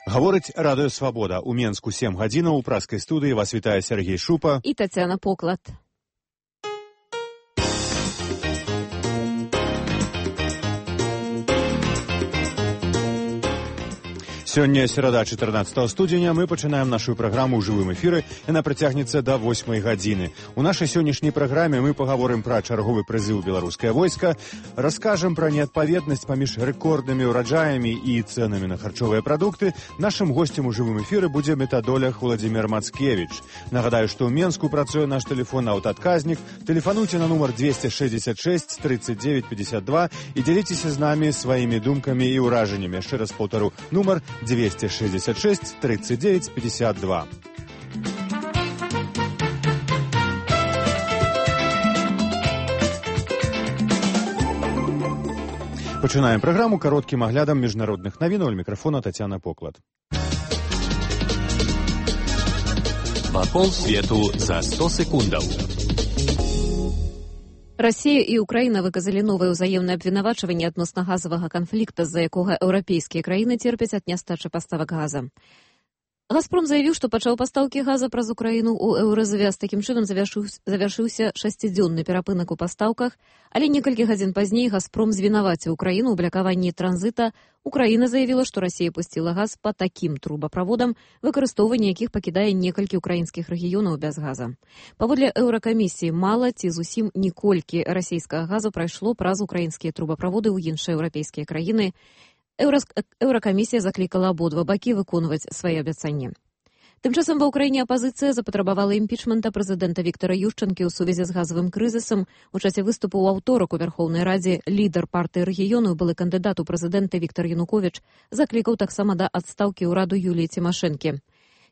Гаворыць радыё «Свабода». У Менску 7 гадзінаў. У праскай студыі вас вітае Сергей Шупа і Тацяна Поклад. Сёння серада 14 студзеня. Мы пачынаем нашу праграму ў жывым эфіры. Яна працягнецца да 8 гадзіны. У нашай сённяшняй праграме мы пагаворым пра чарговы прызыў беларускае войска, раскажам пра неадпаведнасць паміж рэкорднымі ўраджаямі і цэнамі на харчовыя прадукты. Нашым госцем у жывым эфіры будзе метадолог Владзімір Мацкевіч. Нагадаю, што ў Менску працуе наш тэлефон аўтаадказнік. Тэлефануйце на нумар 266 39 52 і дзяліцеся з намі сваімі думкамі і ўражаннямі. Яшчэ раз паўтару, нумар 266 39 52. Пачынаем праграму кароткім аглядам міжнародных навінаў. Аль мікрафона Тацяна Поклад. Вакол свету за 100 секундаў. Расія і Украіна выказалі новае ўзаемнае абвінавачванне адносна газавага канфлікта, з-за якога еўрапейскія краіны церпяць ад нястачы паставак газа. «Газпром» заявіў, што пачаў пастаўкі газа праз Украіну ў еўразвяз. Такім чынам завяршыўся 6-дзённы перапынак у пастаўках, але некалькі гадзін пазней «Газпром» звінаваціў Украіну ў блакаванні транзіта. Украіна заявіла, што Расія пусціла газ па такім трубаправодам, выкарыстоўванне якіх пакідае некалькі ўкраінскіх рэгіёнаў без газа. Паводле еўракамісіі, мала ці зусім ніколькі расійскага газу прайшло праз украінскія трубаправоды ў іншыя еўрапейскія краіны. Еўракамісія заклікала абодва бакі выконваць свае абяцанні. Тым часам ва ўкраіне апазіцыя запатрабавала імпічмента прэзідэнта Віктара Юшчанкі ў сувязі з газавым крызісам. У часе выступу ў аўторак у Вярхоўнай Радзе лідар партыі рэгіёну, былы кандыдат у прэзідэнты Віктар Януковіч, заклікаў таксама да адстаўкі ўраду Юліі Цімашэнкі.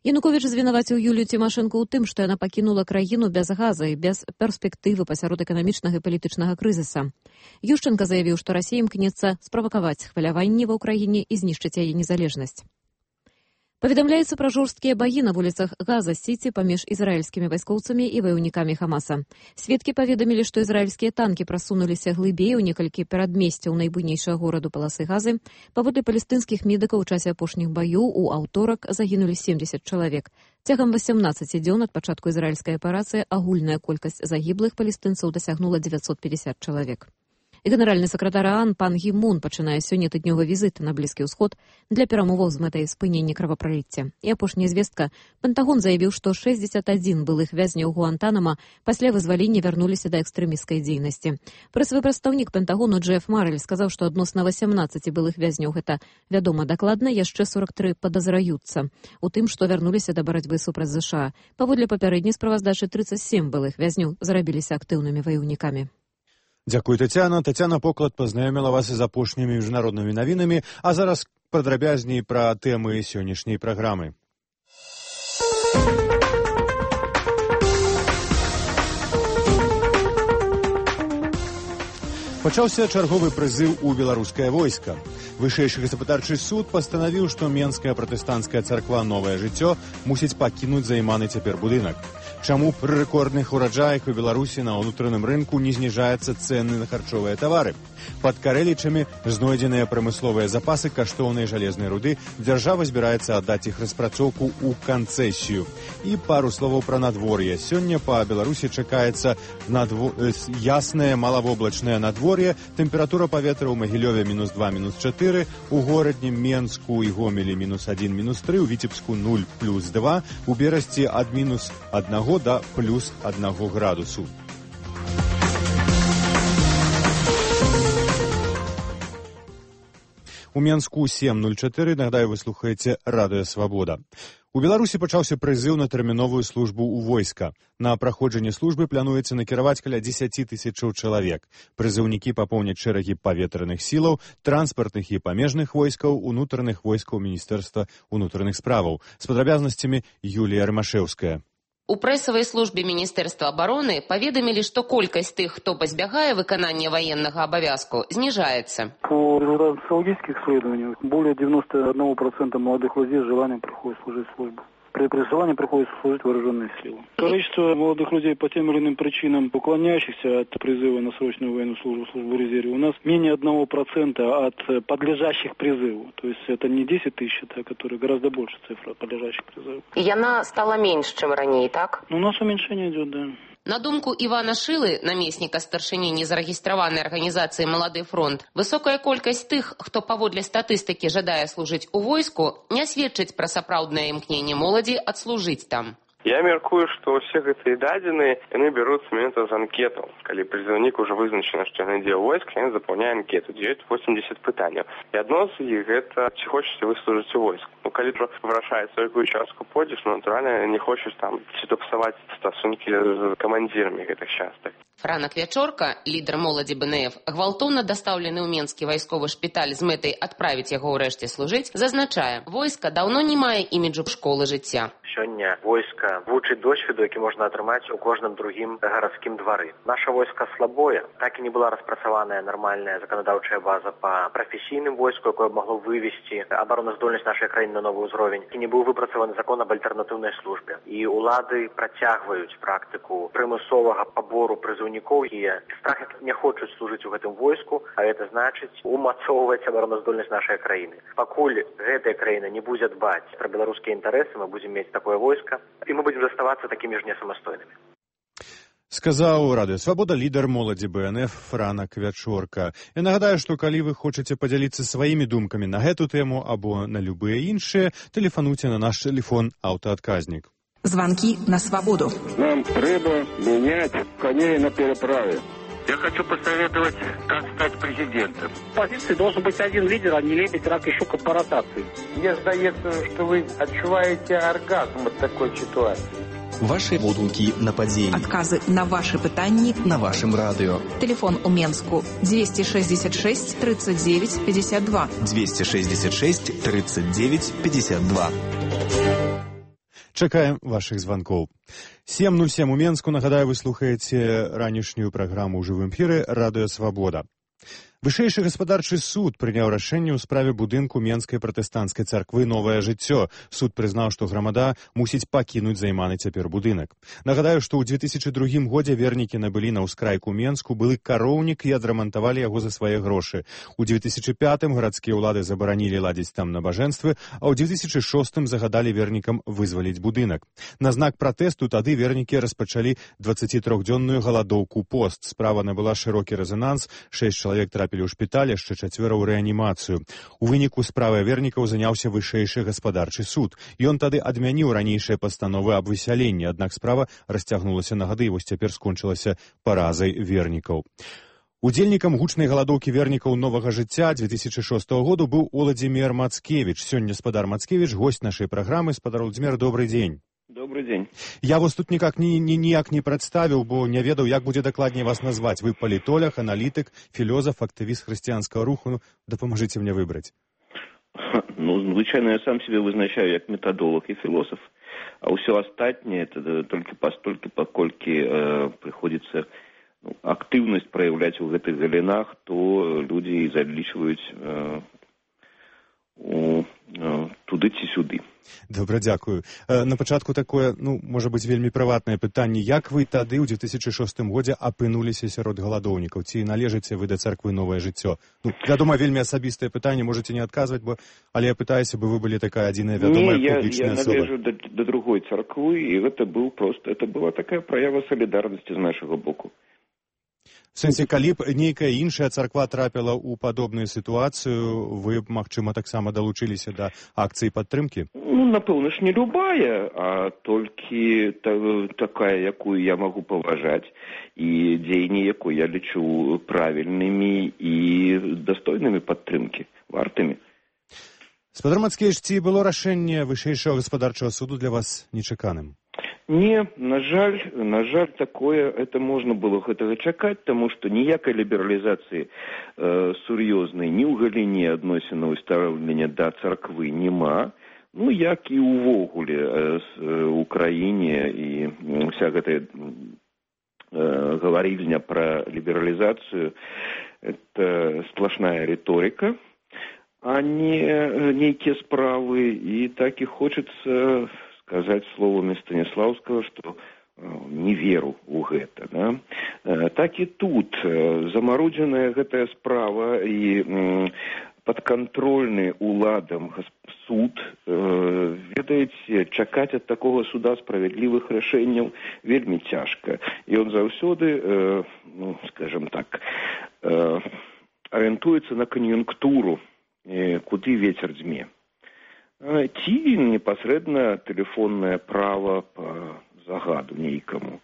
Януковіч звінаваціў Юлію Цімашэнку ў тым, што яна пакінула краіну без газа і без перспектывы пасярод эканамічнага і палітычнага крызіса. Юшчанка заявіў, што Расія імкнецца справакаваць хваляванні ва ўкраіне і знішчыць яе незалежнасць. Паведамляецца пра жорсткія баі на вуліцах Газа-Сіці паміж ізраільскімі вайскоўцамі і ваяўнікамі Хамаса. Сведкі паведамілі, што ізраільскія танкі прасунуліся глыбей у некалькі перадмесцяў найбуйнейшага гораду паласы Газы. Паводле палестынскіх медыкаў у часе апошніх баёў у аўторак загінулі 70 чалавек. Цягам 18 дзён ад пачатку ізраільскай аперацыі агульная колькасць загіблых палестынцаў дасягнула 950 чалавек. І генеральны сакратар ААН пан Гі Мун пачынае сёння тыднёвы візіт на Блізкі ўсход для перамоваў з мэтай спынення кровапраліцця. І апошняя звестка. Пентагон заявіў, што 61 былых вязняў Гуантанама пасля вызвалення вярнуліся да экстрэмісцкай дзейнасці. Прэсавы прадстаўнік Пентагону Джеф Марэль сказаў, што адносна 18 былых вязняў гэта вядома дакладна, яшчэ 43 падазраюцца у тым, што вярнуліся да барацьбы супраць ЗША. Паводле папярэдняй справаздачы 37 былых вязняў зрабіліся актыўнымі ваяўнікамі. Дзякуй, Тацяна. Тацяна Поклад пазнаёміла вас з апошнімі міжнароднымі навінамі, а зараз падрабязней пра тэмы сённяшняй праграмы. Пачаўся чарговы прызыў у беларускае войска. Вышэйшы гаспадарчы суд пастанавіў, што Менская пратэстанцкая царква «Новае жыццё» мусіць пакінуць займаны цяпер будынак. Чаму пры рэкордных ураджаях у Беларусі на ўнутраным рынку не зніжаюцца цэны на харчовыя тавары? Пад Карэлічамі знойдзеныя прамысловыя запасы каштоўнай жалезнай руды. Дзяржава збіраецца аддаць іх распрацоўку ў канцэсію. І пару словаў пра надвор'е. Сёння па Беларусі чакаецца яснае малавоблачнае надвор'е. Тэмпература паветра ў Магілёве -2, -4, у горадні Менску і Гомелі -1, -3, у Віцебску 0, +2, у Берасці ад -1 да +1 градусу. У Менску 7:04, нагадаю, вы слухаеце радыё «Свабода». У Беларусі пачаўся прызыў на тэрміновую службу ў войска. На праходжанне службы плануецца накіраваць каля 10 тысячаў чалавек. Прызыўнікі папоўняць шэрагі паветраных сілаў, транспартных і памежных войскаў, унутраных войскаў Міністэрства ўнутраных справаў. З падрабязнасцямі Юлія Рамашэўская. У прэсавай службе Міністэрства абароны паведамілі, што колькасць тых, хто пазбягае выканання ваеннага абавязку, зніжаецца. По результатам социологических исследований более 91% молодых людей с желанием приходят служить службу. при призывании приходится служить в вооруженные силы. Количество молодых людей по тем или иным причинам, уклоняющихся от призыва на срочную военную службу в резерве, у нас менее 1% от подлежащих призыву. То есть это не 10 тысяч, это которые гораздо больше цифра подлежащих призыву. И она стала меньше, чем ранее, так? У нас уменьшение идет, да. На думку Івана Шылы, намесніка старшыні незарэгістраванай арганізацыі «Малады фронт», высокая колькасць тых, хто паводле статыстыкі жадае служыць у войску, не сведчыць пра сапраўднае імкненне моладзі адслужыць там. Я мяркую, што ўсе гэтыя дадзеныя, яны бяруцца менавіта з анкетаў. Калі прызыўнік ужо вызначана, што ён ідзе ў войск, ён запаўняе анкету, дзе ёсць 80 пытанняў. І адно з іх гэта, ці хочаце вы служыць у войск. Ну, калі вырашаецца, у якую частку пойдзеш, натуральна, не хочаш там ці то псаваць стасункі з камандзірамі гэтых частак. Франак Вячорка, лідар моладзі БНФ, гвалтоўна дастаўлены ў Менскі вайсковы шпіталь з мэтай адправіць яго ўрэшце служыць, зазначае, войска даўно не мае іміджу школы жыцця. Сёння войска вучыць досведу, які можна атрымаць у кожным другім гарадскім двары. Наша войска слабое, так і не была распрацаваная нармальная заканадаўчая база па прафесійным войску, якое магло вывесці абароназдольнасць нашай краіны на новы ўзровень. І не быў выпрацаваны закон аб альтэрнатыўнай службе. І ўлады працягваюць практыку прымусовага пабору прызыўнікоў, і страх не хочуць служыць у гэтым войску, а гэта значыць умацоўваць абароназдольнасць нашай краіны. Пакуль гэтая краіна не будзе дбаць пра беларускія інтарэсы, мы будзем мець такое войска, і мы будзем заставацца такімі ж несамастойнымі. Сказаў Радыё Свабода лідар моладзі БНФ Франак Вячорка. Я нагадаю, што калі вы хочаце падзяліцца сваімі думкамі на гэту тэму або на любыя іншыя, тэлефануйце на наш тэлефон аўтаадказнік. Звонки на свободу. Нам треба менять коней на переправе. Я хочу посоветовать, как стать президентом. В позиции должен быть один лидер, а не лебедь, рак и щука по ротации. Мне сдается, что вы отчуваете оргазм от такой ситуации. Ваши водгукі на падзеі. Адказы на ваши пытанні на вашым радыё. Телефон у Менску 266 39 52. 266 39 52. Чакаем вашых званкоў. 7:07 у Менску. Нагадаю, вы слухаеце ранішнюю праграму ў жывым эфіры «Радыё Свабода». Вышэйшы гаспадарчы суд прыняў рашэнне ў справе будынку Менскай пратэстанцкай царквы «Новае жыццё». Суд прызнаў, што грамада мусіць пакінуць займаны цяпер будынак. Нагадаю, што ў 2002 годзе вернікі набылі на ўскрайку Менску былы кароўнік і адрамантавалі яго за свае грошы. У 2005 гарадскія ўлады забаранілі ладзіць там набажэнствы, а ў 2006 загадалі вернікам вызваліць будынак. На знак пратэсту тады вернікі распачалі 23-дзённую галадоўку пост. Справа набыла шырокі рэзананс, 6 чалавек трапілі ў шпіталь, яшчэ 4 ў рэанімацыю. У выніку справай вернікаў заняўся вышэйшы гаспадарчы суд. Ён тады адмяніў ранейшыя пастановы аб высяленні, аднак справа расцягнулася на гады і вось цяпер скончылася паразай вернікаў. Удзельнікам гучнай галадоўкі вернікаў новага жыцця 2006 году быў Уладзімір Мацкевіч. Сёння спадар Мацкевіч, госць нашай праграмы. Спадар Уладзімір, добрый дзень. Добрый дзень. Я вас тут ніяк не прадставіў, бо не ведаў, як будзе дакладней вас назваць. Вы палітолог, аналітык, філёзаф, актывіст хрысціянскага руху. Ну, дапамажыце мне выбраць. Ну, звычайно, я сам себе вызначаю як методолог и философ, а все остальное это только постольку, покольки приходится активность проявлять в этих галинах, то люди залічваюць туды-ці-сюды. Добра, дзякую. На пачатку такое, можа быць, вельмі прыватнае пытанне. Як вы тады ў 2006 годзе апынуліся сярод галадоўнікаў? Ці належыце вы да царквы «Новае жыццё»? Вядома, вельмі асабістае пытанне, можаце не адказваць, але я пытаюся, бы вы былі такая адзіная вядомая публічная асоба. Не, я належу да другой царквы, і гэта была такая праява салідарнасці з нашага боку. В сэнсе, калі б нейкая іншая царква трапіла ў падобную сітуацыю, вы б, магчыма, таксама далучыліся да акцыі падтрымкі? Напэўна ж, не любая, а толькі такая, якую я магу паважаць, і дзеянні, якую я лічу правільнымі і дастойнымі падтрымкі, вартымі. Спадар Мацкевіч, ці было рашэнне вышэйшага гаспадарчага суду для вас нечаканым? Не, на жаль, такое, это можно было гэтага чакаць, тому что ніякай лібералізацыі сур'ёзнай ні ў галіне адносінаў стаўлення да царквы няма, як і ўвогуле у краіне, і вся гэтая гаварільня пра лібералізацыю это сплошная риторика, а не нейкія справы, і так і хочется сказать словами Станиславского, что не веру ў гэта. Да? Так і тут замарудзеная гэтая справа і падкантрольны уладам суд, ведаеце, чакаць ад такога суда справядлівых рашэнняў вельмі цяжка. І ён заўсёды, скажем так, арыентуецца на кан'юнктуру, куды вецер дзьме. Ці непасрэдна тэлефоннае права па загаду нейкаму.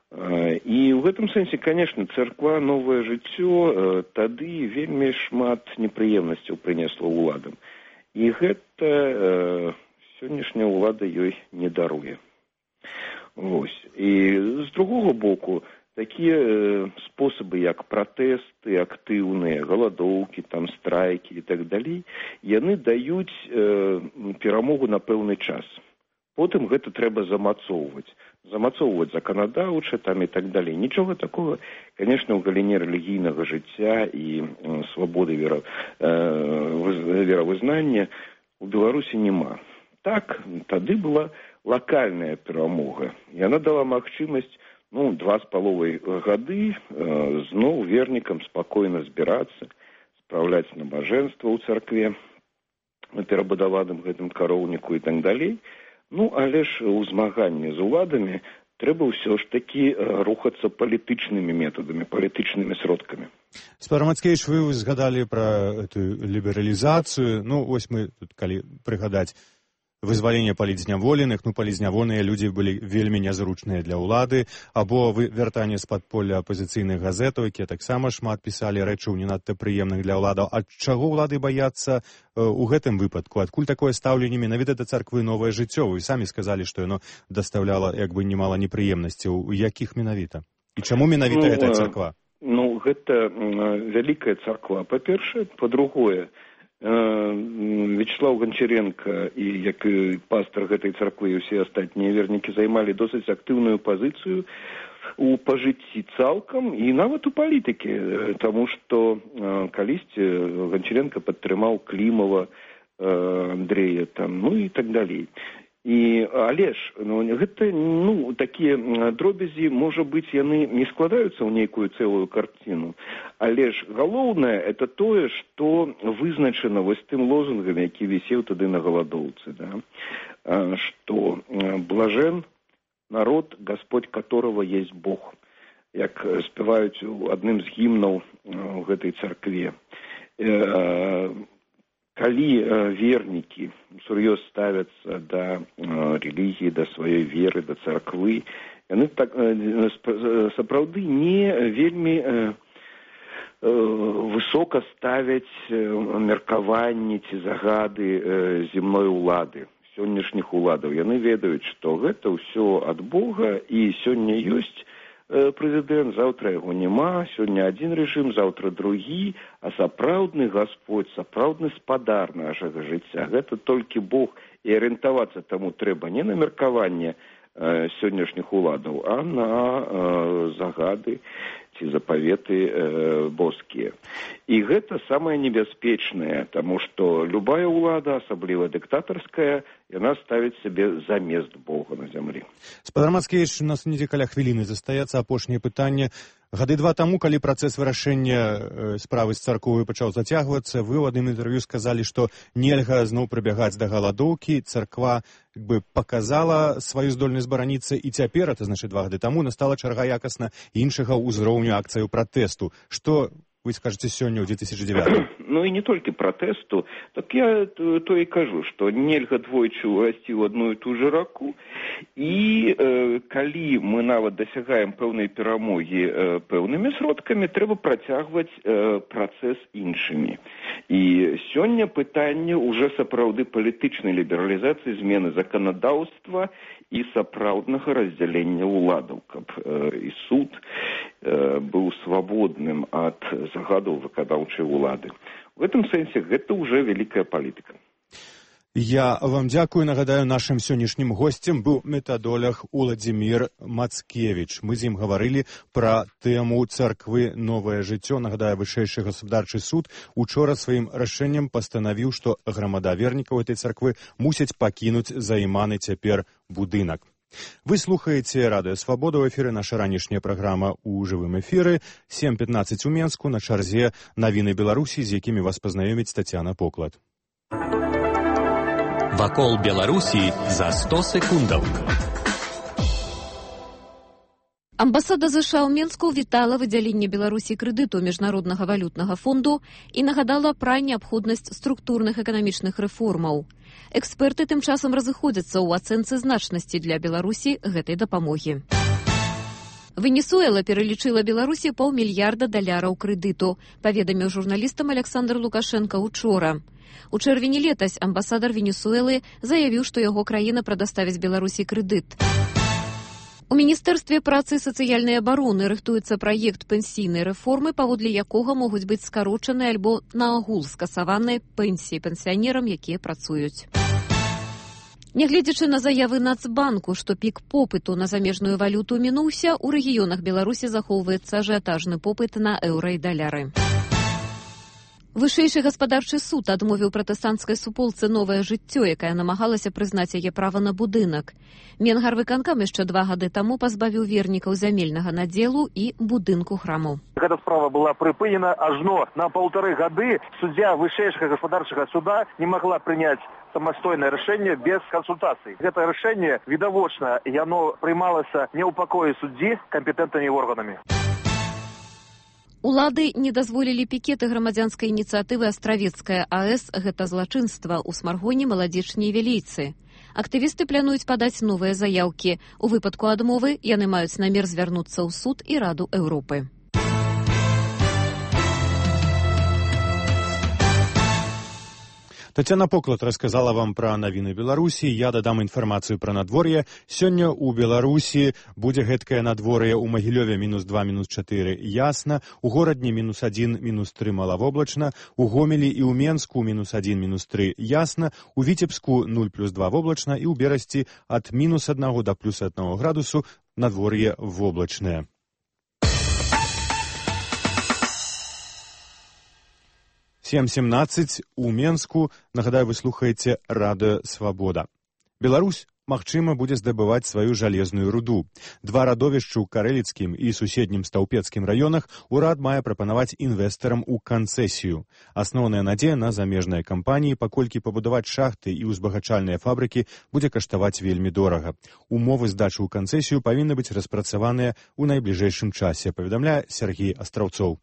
І ў гэтым сэнсе, конечно, царква «Новае жыццё» тады вельмі шмат непрыемнасцяў прынесла ўладам. І гэта сённяшняя ўлада ёй не даруе. Вось. І з другога боку, такія спосабы, як пратэсты актыўныя, галадоўкі, там, страйкі і так далей, яны даюць перамогу на пэўны час. Потым гэта трэба замацоўваць заканадаўча там і так далей. Нічога такога, конечно, ў галіне рэлігійнага жыцця і свабоды веравызнання у Беларусі няма. Так, тады была лакальная перамога. Яна дала магчымасць 2,5 гады зноў вернікам спакойна збірацца, спраўляць набажэнства ў царкве, на перабудаваным гэтым кароўніку і так далей. Але ж у змаганні з уладамі трэба ўсё ж такі рухацца палітычнымі метадамі, палітычнымі сродкамі. Спадар Мацкевіч, вы згадалі пра эту лібералізацыю. Вось мы тут, калі прыгадаць вызваленне палітзняволеных, палітзняволеныя людзі былі вельмі нязручныя для ўлады, або вяртанне з падполля апазіцыйных газетаў, якія таксама шмат пісалі рэчаў не надта прыемных для ўладаў. Ад чаго ўлады баяцца у гэтым выпадку? Адкуль такое стаўленне менавіта да царквы «Новае жыццё»? Вы самі сказалі, што яно дастаўляла немала непрыемнасцяў. Якіх менавіта? І чаму менавіта гэтая царква? Гэта вялікая царква, па-першае. Па-другое, Вячеслав Гончаренко і як пастор гэтай царквы і ўсе астатнія вернікі займалі досыць актыўную пазіцыю у пажыцці цалкам і нават у палітыкі, таму што калісьці Гончаренко падтрымаў Клімова, Андрэя там, і так далей. Але ж гэта такія дробязі, можа быць, яны не складаюцца ў нейкую цэлую карціну, але ж галоўнае это тое, што вызначана вось тым лозунгам, які вісеў тады на галадоўцы, што блажен народ, Господь которого есть Бог, як спяваюць у адным з гімнаў у гэтай царкве. Калі вернікі сур'ёз ставяцца да рэлігіі, да сваёй веры, да царквы, яны сапраўды не вельмі высока ставяць меркаванні ці загады земной улады, сённяшніх уладаў. Яны ведаюць, што гэта ўсё ад Бога, і сёння ёсць прэзідэнт, заўтра яго няма, сёння адзін рэжым, заўтра другі, а сапраўдны Гасподь, сапраўдны спадар нашага жыцця, гэта толькі Бог, і арыентавацца таму трэба не на меркаванне сённяшніх уладаў, а на загады ці запаветы боскія. І гэта самае небяспечнае, таму што любая ўлада, асабліва дыктатарская, яна ставіць сабе замест Бога на зямлі. Спадар Мацкевіч, у нас недзе каля хвіліны застаецца апошняе пытанне. Гады 2 таму, калі працэс вырашэння справы з царквой пачаў зацягвацца, вы ў адным інтэрв'ю сказалі, што нельга зноў прыбягаць да галадоўкі. Царква паказала сваю здольнасць бараніцца, і цяпер, это значыць 2 гады таму, настала чарга якасна іншага ўзроўню акцыяў пратэсту. Што вы скажаце сёння ў 2009? І не толькі пратэсту, так я то і кажу, што нельга двойчы ўрасці ў адну і ту ж раку, і калі мы нават дасягаем пэўнай перамогі пэўнымі сродкамі, трэба працягваць працэс іншымі. І сёння пытанне ўжо сапраўды палітычнай лібералізацыі, змены заканадаўства і сапраўднага раздзялення ўладаў, каб і суд быў свабодным ад загадаў выканаўчай улады. У гэтым сэнсе гэта ўжо вялікая палітыка. Я вам дзякую. Нагадаю, нашым сённяшнім госцем быў метадолог Уладзімір Мацкевіч. Мы з ім гаварылі пра тэму царквы «Новае жыццё». Нагадаю, вышэйшы гаспадарчы суд учора сваім рашэннем пастанавіў, што грамада вернікаў этой царквы мусяць пакінуць займаны цяпер будынак. Вы слухаеце Радыё Свабода, ў эфіры наша ранішняя праграма ў жывым эфіры. 7:15 у Менску, на чарзе навіны Беларусі, з якімі вас пазнаёміць Тацяна Поклад. Вакол Беларусі за 100 секундаў. Амбасада США ў Менску вітала выдзяленне Беларусі крэдыту Міжнароднага валютнага фонду і нагадала пра неабходнасць структурных эканамічных рэформаў. Эксперты тым часам разыходзяцца ў ацэнцы значнасці для Беларусі гэтай дапамогі. Венесуэла пералічыла Беларусі $500 мільярда крэдыту, паведаміў журналістам Александр Лукашенко учора. У чэрвені летась амбасадар Венесуэлы заявіў, што яго краіна прадаставіць Беларусі крэдыт. У Міністэрстве працы і сацыяльнай абароны рыхтуецца праект пенсійнай рэформы, паводле якога могуць быць скарочаны альбо наогул скасаваныя пенсіі пенсіянерам, якія працуюць. Нягледзячы на заявы Нацбанку, што пік попыту на замежную валюту мінуўся, у рэгіёнах Беларусі захоўваецца ажыятажны попыт на еўра і даляры. Вышэйшы гаспадарчы суд адмовіў пратэстанцкай суполцы «Новае жыццё», якая намагалася прызнаць яе права на будынак. Менгарвыканкам яшчэ 2 гады таму пазбавіў вернікаў зямельнага надзелу і будынку храму. Гэта справа была прыпынена ажно на 1,5 гады. Суддзя вышэйшага гаспадарчага суда не магла прыняць самастойнае рашэнне без кансультацый. Гэта рашэнне відавочна, яно прымалася не ў пакоі суддзі кампетэнтнымі органамі. Улады не дазволілі пікеты грамадзянскай ініцыятывы «Астравецкая АЭС» гэта злачынства ў Смаргоне, Маладзечні і Велійцы. Актывісты плануюць падаць новыя заяўкі. У выпадку адмовы яны маюць намер звярнуцца ў суд і Раду Еўропы. Тацяна Поклад рассказала вам пра навіны Беларусі. Я дадам інфармацыю пра надвор'е. Сёння ў Беларусі будзе гэткае надвор'е. У Магілёве -2, -4 ясна, у горадні -1, -3 малавоблачна, у Гомелі і ў Менску -1, -3 ясна, у Віцебску 0+2 воблачна і ў Берасці ад -1 да +1 градусу надвор'е воблачнае. 7:17 у Менску. Нагадаю, вы слухаеце Радыё Свабода. Беларусь, магчыма, будзе здабываць сваю жалезную руду. 2 радовішчы ў Карэліцкім і суседнім Стаўпецкім раёнах урад мае прапанаваць інвестарам у канцэсію. Асноўная надзея на замежныя кампаніі, паколькі пабудаваць шахты і ўзбагачальныя фабрыкі будзе каштаваць вельмі дорага. Умовы здачы ў канцэсію павінны быць распрацаваныя ў найбліжэйшым часе, паведамляе Сергей Астраўцоў.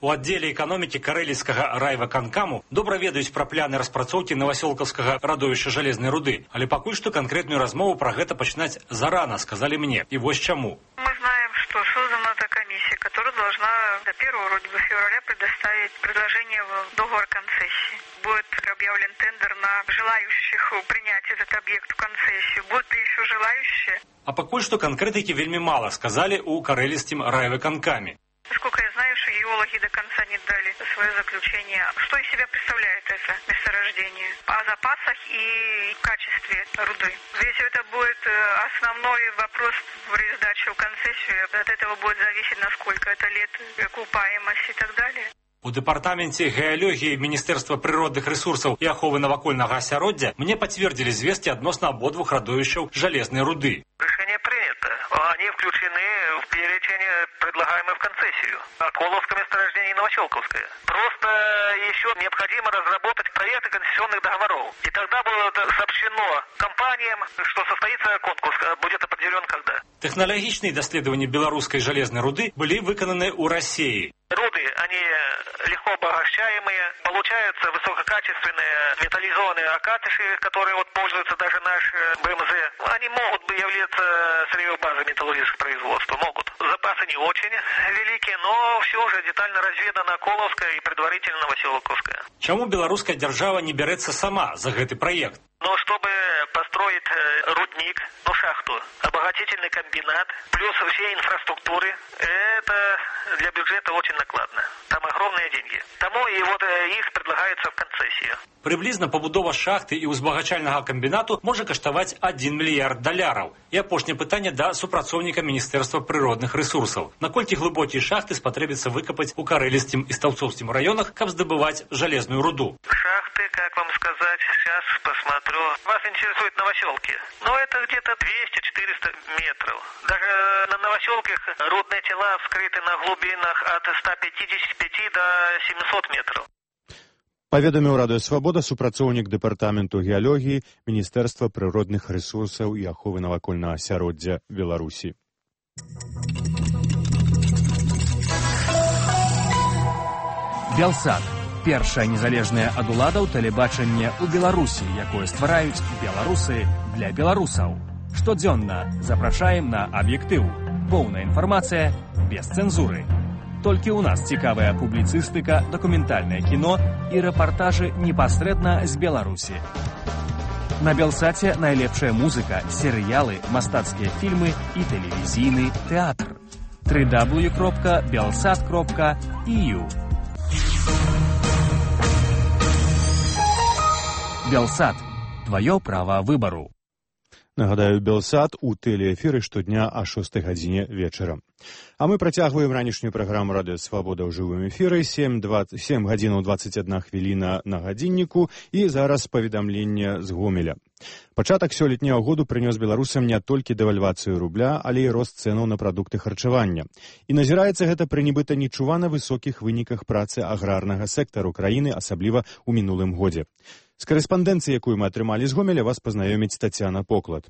У аддзеле эканомікі карэліцкага райвыканкаму добра ведаюць пра пляны распрацоўкі новасёлкаўскага радовішча жалезнай руды, але пакуль што канкрэтную размову пра гэта пачынаць зарана, сказалі мне. И вот чему. Мы знаем, что создана эта комиссия, которая должна до 1 февраля предоставить предложение в договор концессии. Будет объявлен тендер на желающих принять этот объект в концессию. Будут ли еще желающие? А пакуль што канкрэтыкі вельмі мала, сказалі у карэліцкім райвыканкаме. Насколько я знаю, что геологи до конца не дали свое заключение. Что из себя представляет это месторождение? О запасах и качестве руды. Здесь это будет основной вопрос при сдаче в концессию. От этого будет зависеть, насколько это лет окупаемость и так далее. У дэпартаменце геалогіі Міністэрства прыродных рэсурсаў і аховы навакольнага асяроддзя мне пацвердзілі звесткі адносна абодвух радовішчаў жалезнай руды. Решение принято. Они включены в перечень предлагаемый в концессию. Коловское месторождение и Новоселковское. Просто еще необходимо разработать проекты концессионных договоров. И тогда будет сообщено компаниям, что состоится конкурс, будет определен когда. Тэхналагічныя даследаванні беларускай жалезнай руды былі выкананы ў России. Руды, они легко обогащаемые, получаются высококачественные металлизованные окатыши, которые вот пользуются даже наш БМЗ. Они могут являться сырьевой базой металлургического производства, могут. Запасы не очень великие, но все уже детально разведано Коловская и предварительно Новоселковская. Чему белорусская держава не берется сама за этот проект? Но чтобы построить рудник, шахту, обогатительный комбинат, плюс все инфраструктуры. Это для бюджета очень накладно. Там огромные деньги. Тому и вот их предлагается в концессию. Приблизна пабудова шахты і узбагачальнага камбінату можа каштаваць $1 мільярд. І апошняе пытанне да супрацоўніка Міністэрства прыродных рэсурсаў. Наколькі глыбокія шахты спатрэбіцца выкапаць у карэлістым і стаўцоўскім раёнах, каб здабываць жалезную руду? Шахты, как вам сказать, сейчас посмотрю. Вас интересуют новоселки. Ну, это где-то 200-400 метров. Даже на новоселках рудные тела вскрыты на глубинах от 155 до 700 метров. Паведаміў Радыё Свабода супрацоўнік дэпартаменту геалогіі Міністэрства прыродных рэсурсаў і аховы навакольнага асяроддзя Беларусі. Белсат. Першае незалежнае ад уладаў тэлебачанне ў Беларусі, якое ствараюць беларусы для беларусаў. Штодзённа запрашаем на аб'ектыў. Поўная інфармацыя без цэнзуры. Толькі ў нас цікавая публіцыстыка, дакументальнае кіно і рэпартажы непасрэдна з Беларусі. На Белсаце найлепшая музыка, серыялы, мастацкія фільмы і тэлевізійны тэатр. www.belsat.eu Белсат. Твоё право выбору. Нагадаю, Белсат у тэлеэфіры штодня о 6 гадзіне вечара. А мы працягваем ранішнюю праграму Радыё Свабода ў жывым эфіры, 7 гадзінаў 21 хвіліна на гадзінніку і зараз паведамленне з Гомеля. Пачатак сёлетняга году прынёс беларусам не толькі дэвальвацыю рубля, але і рост цэнаў на прадукты харчавання. І назіраецца гэта пры нібыта нечувана высокіх выніках працы аграрнага сектару краіны, асабліва ў мінулым годзе. З карэспандэнцыі, якую мы атрымалі з Гомеля, вас пазнаёміць Тацяна Поклад.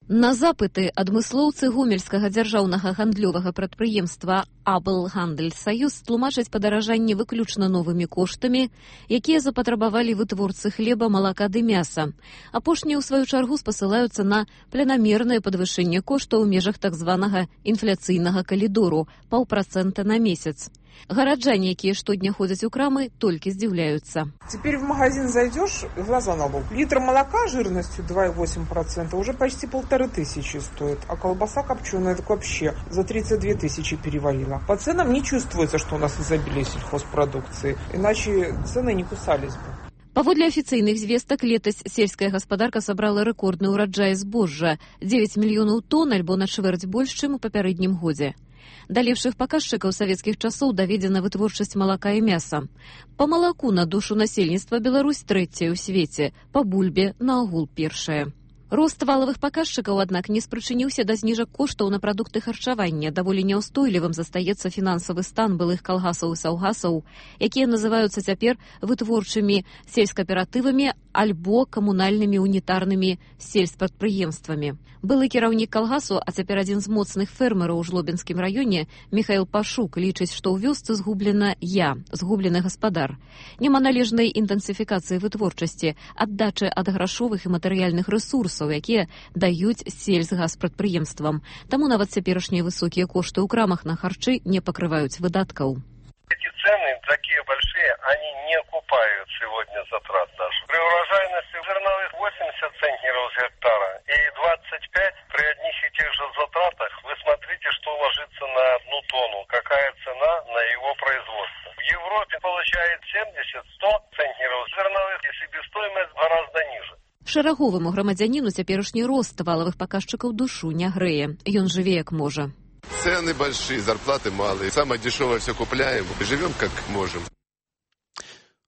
На запыты адмыслоўцы гомельскага дзяржаўнага гандлёвага прадпрыемства «Аблгандельсаюз» тлумачаць падаражанне выключна новымі коштамі, якія запатрабавалі вытворцы хлеба, малака ды мяса. Апошнія, ў сваю чаргу, спасылаюцца на планамернае падвышэнне коштаў у межах так званага інфляцыйнага калідору – 0,5% на месяц. Гараджане, якія штодня ходзяць у крамы, толькі здзіўляюцца. Теперь в магазин зайдешь, глаза на лоб. Литр молока жирностью 2,8% уже почти 1500 стоит, а колбаса копченая так вообще за 32 тысячи перевалила. По ценам не чувствуется, что у нас изобилие сельхозпродукции, иначе цены не кусались бы. Паводле афіцыйных звестак, летась сельская гаспадарка сабрала рэкордны ўраджай збожжа – 9 мільёнаў тонн, альбо на чвэрць больш, чым у папярэднім годзе. Да лепшых паказчыкаў савецкіх часоў даведзена вытворчасць малака і мяса. Па малаку на душу насельніцтва Беларусь трэцяя ў свеце, па бульбе наогул першая. Рост валавых паказчыкаў, аднак, не спрычыніўся да зніжак коштаў на прадукты харчавання. Даволі няўстойлівым застаецца фінансавы стан былых калгасаў і саўгасаў, якія называюцца цяпер вытворчымі сельскааператывамі альбо камунальнымі унітарнымі сельспрадпрыемствамі. Былы кіраўнік калгасу, а цяпер адзін з моцных фермераў у Жлобінскім раёне, Міхаіл Пашук, лічыць, што ў вёсцы згублена згублены гаспадар. Няма належнай інтэнсіфікацыі вытворчасці, аддачы ад грашовых і матэрыяльных рэсурсаў, якія даюць сельсгаспрадпрыемствам. Таму нават цяперашнія высокія кошты ў крамах на харчы не пакрываюць выдаткаў. Эти цены такие большие, они не окупают сегодня затрат наших. При урожайности зерновых 80 центнеров с гектара и 25 при одних и тех же затратах. Вы смотрите, что ложится на 1 тонну, какая цена на его производство. В Европе получает 70-100 центнеров зерновых, и себестоимость гораздо ниже. Шараговаму грамадзяніну цяперашні рост валавых паказчыкаў душу не грэе. Ён жыве як можа. Цены большие, зарплаты малые. Самое дешевое все купляем. Живем как можем.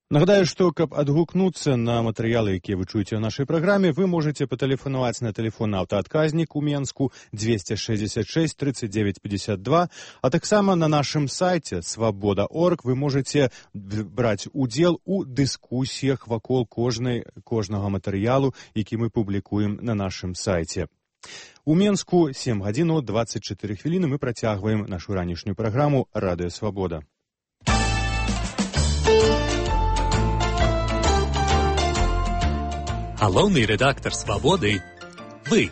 Нагадаю, што каб адгукнуцца на матэрыялы, якія вы чуеце ў нашай праграме, вы можаце патэлефанаваць на тэлефон аўтаадказнік у Менску 266 39 52, а таксама на нашым сайце свабода.орг вы можаце браць удзел у дыскусіях вакол кожнага матэрыялу, які мы публікуем на нашым сайце. У Менску 7 гадзінаў 24 хвіліны мы працягваем нашу ранішнюю праграму «Радыё Свабода». Галоўны рэдактар «Свабоды» – вы.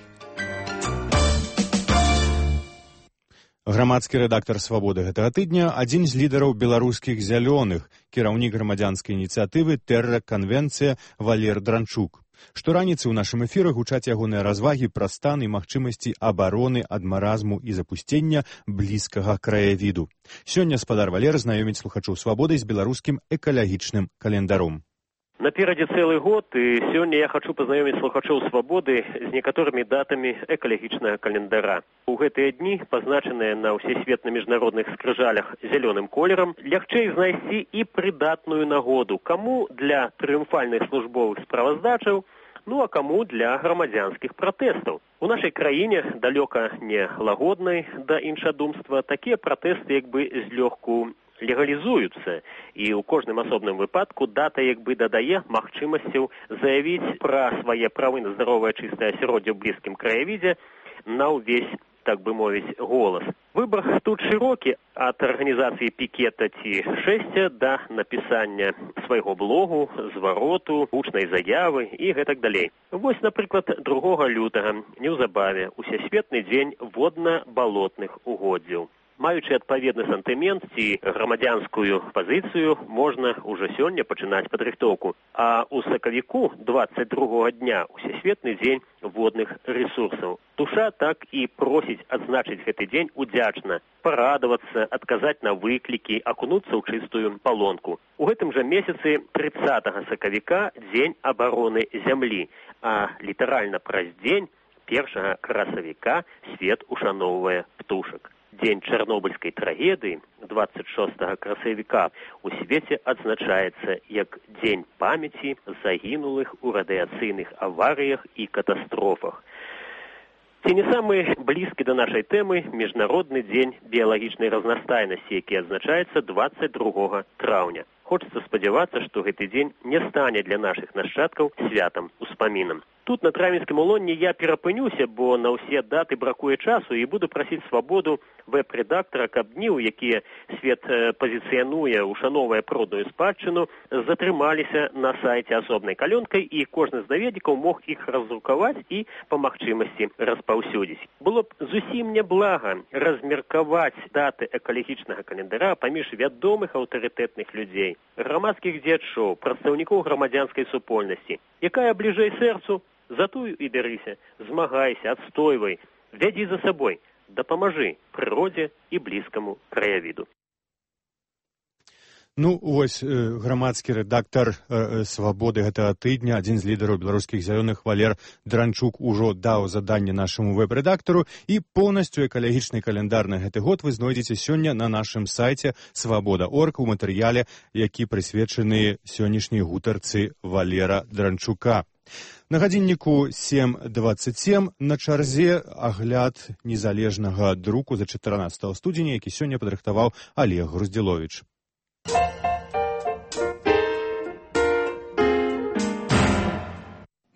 Грамадскі рэдактар «Свабоды» гэтага тыдня – адзін з лідараў беларускіх зялёных, кіраўнік грамадзянскай ініцыятывы «Тэрра Канвенцыя» Валер Дранчук. Штораніцы ў нашым эфіры гучаць ягоныя развагі пра стан і магчымасці абароны ад маразму і запусцення блізкага краявіду. Сёння спадар Валер знаёміць слухачоў «Свабоды» з беларускім экалагічным календаром. Наперадзе цэлы год, і сёння я хачу пазнаёміць слухачоў «Свабоды» з некаторымі датамі экалагічнага календара. У гэтыя дні, пазначаныя на ўсесветна міжнародных скрыжалях зялёным колерам, лягчэй знайсці і прыдатную нагоду, каму для трыумфальных службовых справаздачаў, ну а каму для грамадзянскіх пратэстаў. У нашай краіне, далёка не лагоднай да іншадумства, такія пратэсты як бы злёгку легалізуюцца, і ў кожным асобным выпадку дата як бы дадае магчымасцяў заявіць пра свае правы на здаровае чыстае асяроддзе ў блізкім краявідзе на ўвесь, так бы мовіць, голас. Выбар тут шырокі, ад арганізацыі пікета ці шэсця да напісання свайго блогу, звароту, гучнай заявы і гэтак далей. Вось, напрыклад, 2 лютага, неўзабаве, усесветны дзень водна-балотных угоддзяў. Маючы адпаведны сантымент ці грамадзянскую пазіцыю, можна ўжо сёння пачынаць падрыхтоўку. А ў сакавіку 22 дня усесветны дзень водных рэсурсаў. Душа так і просіць адзначыць гэты дзень удзячна, парадавацца, адказаць на выклікі, акунуцца ў чыстую палонку. У гэтым жа месяцы 30 сакавіка дзень абароны зямлі, а літаральна праз дзень 1 красавіка свет ушаноўвае птушак. Дзень чарнобыльскай трагедыі 26 красавіка у свеце адзначаецца як дзень памяці загінулых у радыяцыйных аварыях і катастрофах. Ці не самы блізкі да нашай тэмы міжнародны дзень біялагічнай разнастайнасці, які адзначаецца 22 траўня. Хочацца спадзявацца, што гэты дзень не стане для нашых нашчадкаў святам, успамінам. Тут на Травінскім улонні я перапынюся, бо на ўсе даты бракуе часу, і буду прасіць Свабоду вэб-рэдактара, каб дні, у якія свет пазіцыянуе, ушановае прыродную спадчыну, затрымаліся на сайце асобнай калёнкай, і кожны з наведнікаў мог іх раздрукаваць і па магчымасці распаўсюдзіць. Было б зусім няблага размеркаваць даты экалагічнага календара паміж вядомых аўтарытэтных людзей, грамадскіх дзеячоў, прадстаўнікоў грамадзянскай супольнасці. Якая бліжэй сэрцу, затую і бярыся, змагайся, адстойвай, вядзі за сабой, дапамажы прыродзе і блізкаму краявіду. Ну, вось грамадскі рэдактар «Свабоды» гэтага тыдня, адзін з лідараў беларускіх зялёных Валер Дранчук ужо даў заданне нашаму вэб-рэдактару, і поўнасцю экалагічны календар на гэты год вы знойдзеце сёння на нашым сайце «Свабода.орг» у матэрыяле, які прысвечаны сённяшняй гутарцы Валера Дранчука. На гадзінніку 7:27 на чарзе агляд незалежнага друку за 14 студзеня, які сёння падрыхтаваў Олег Груздзіловіч.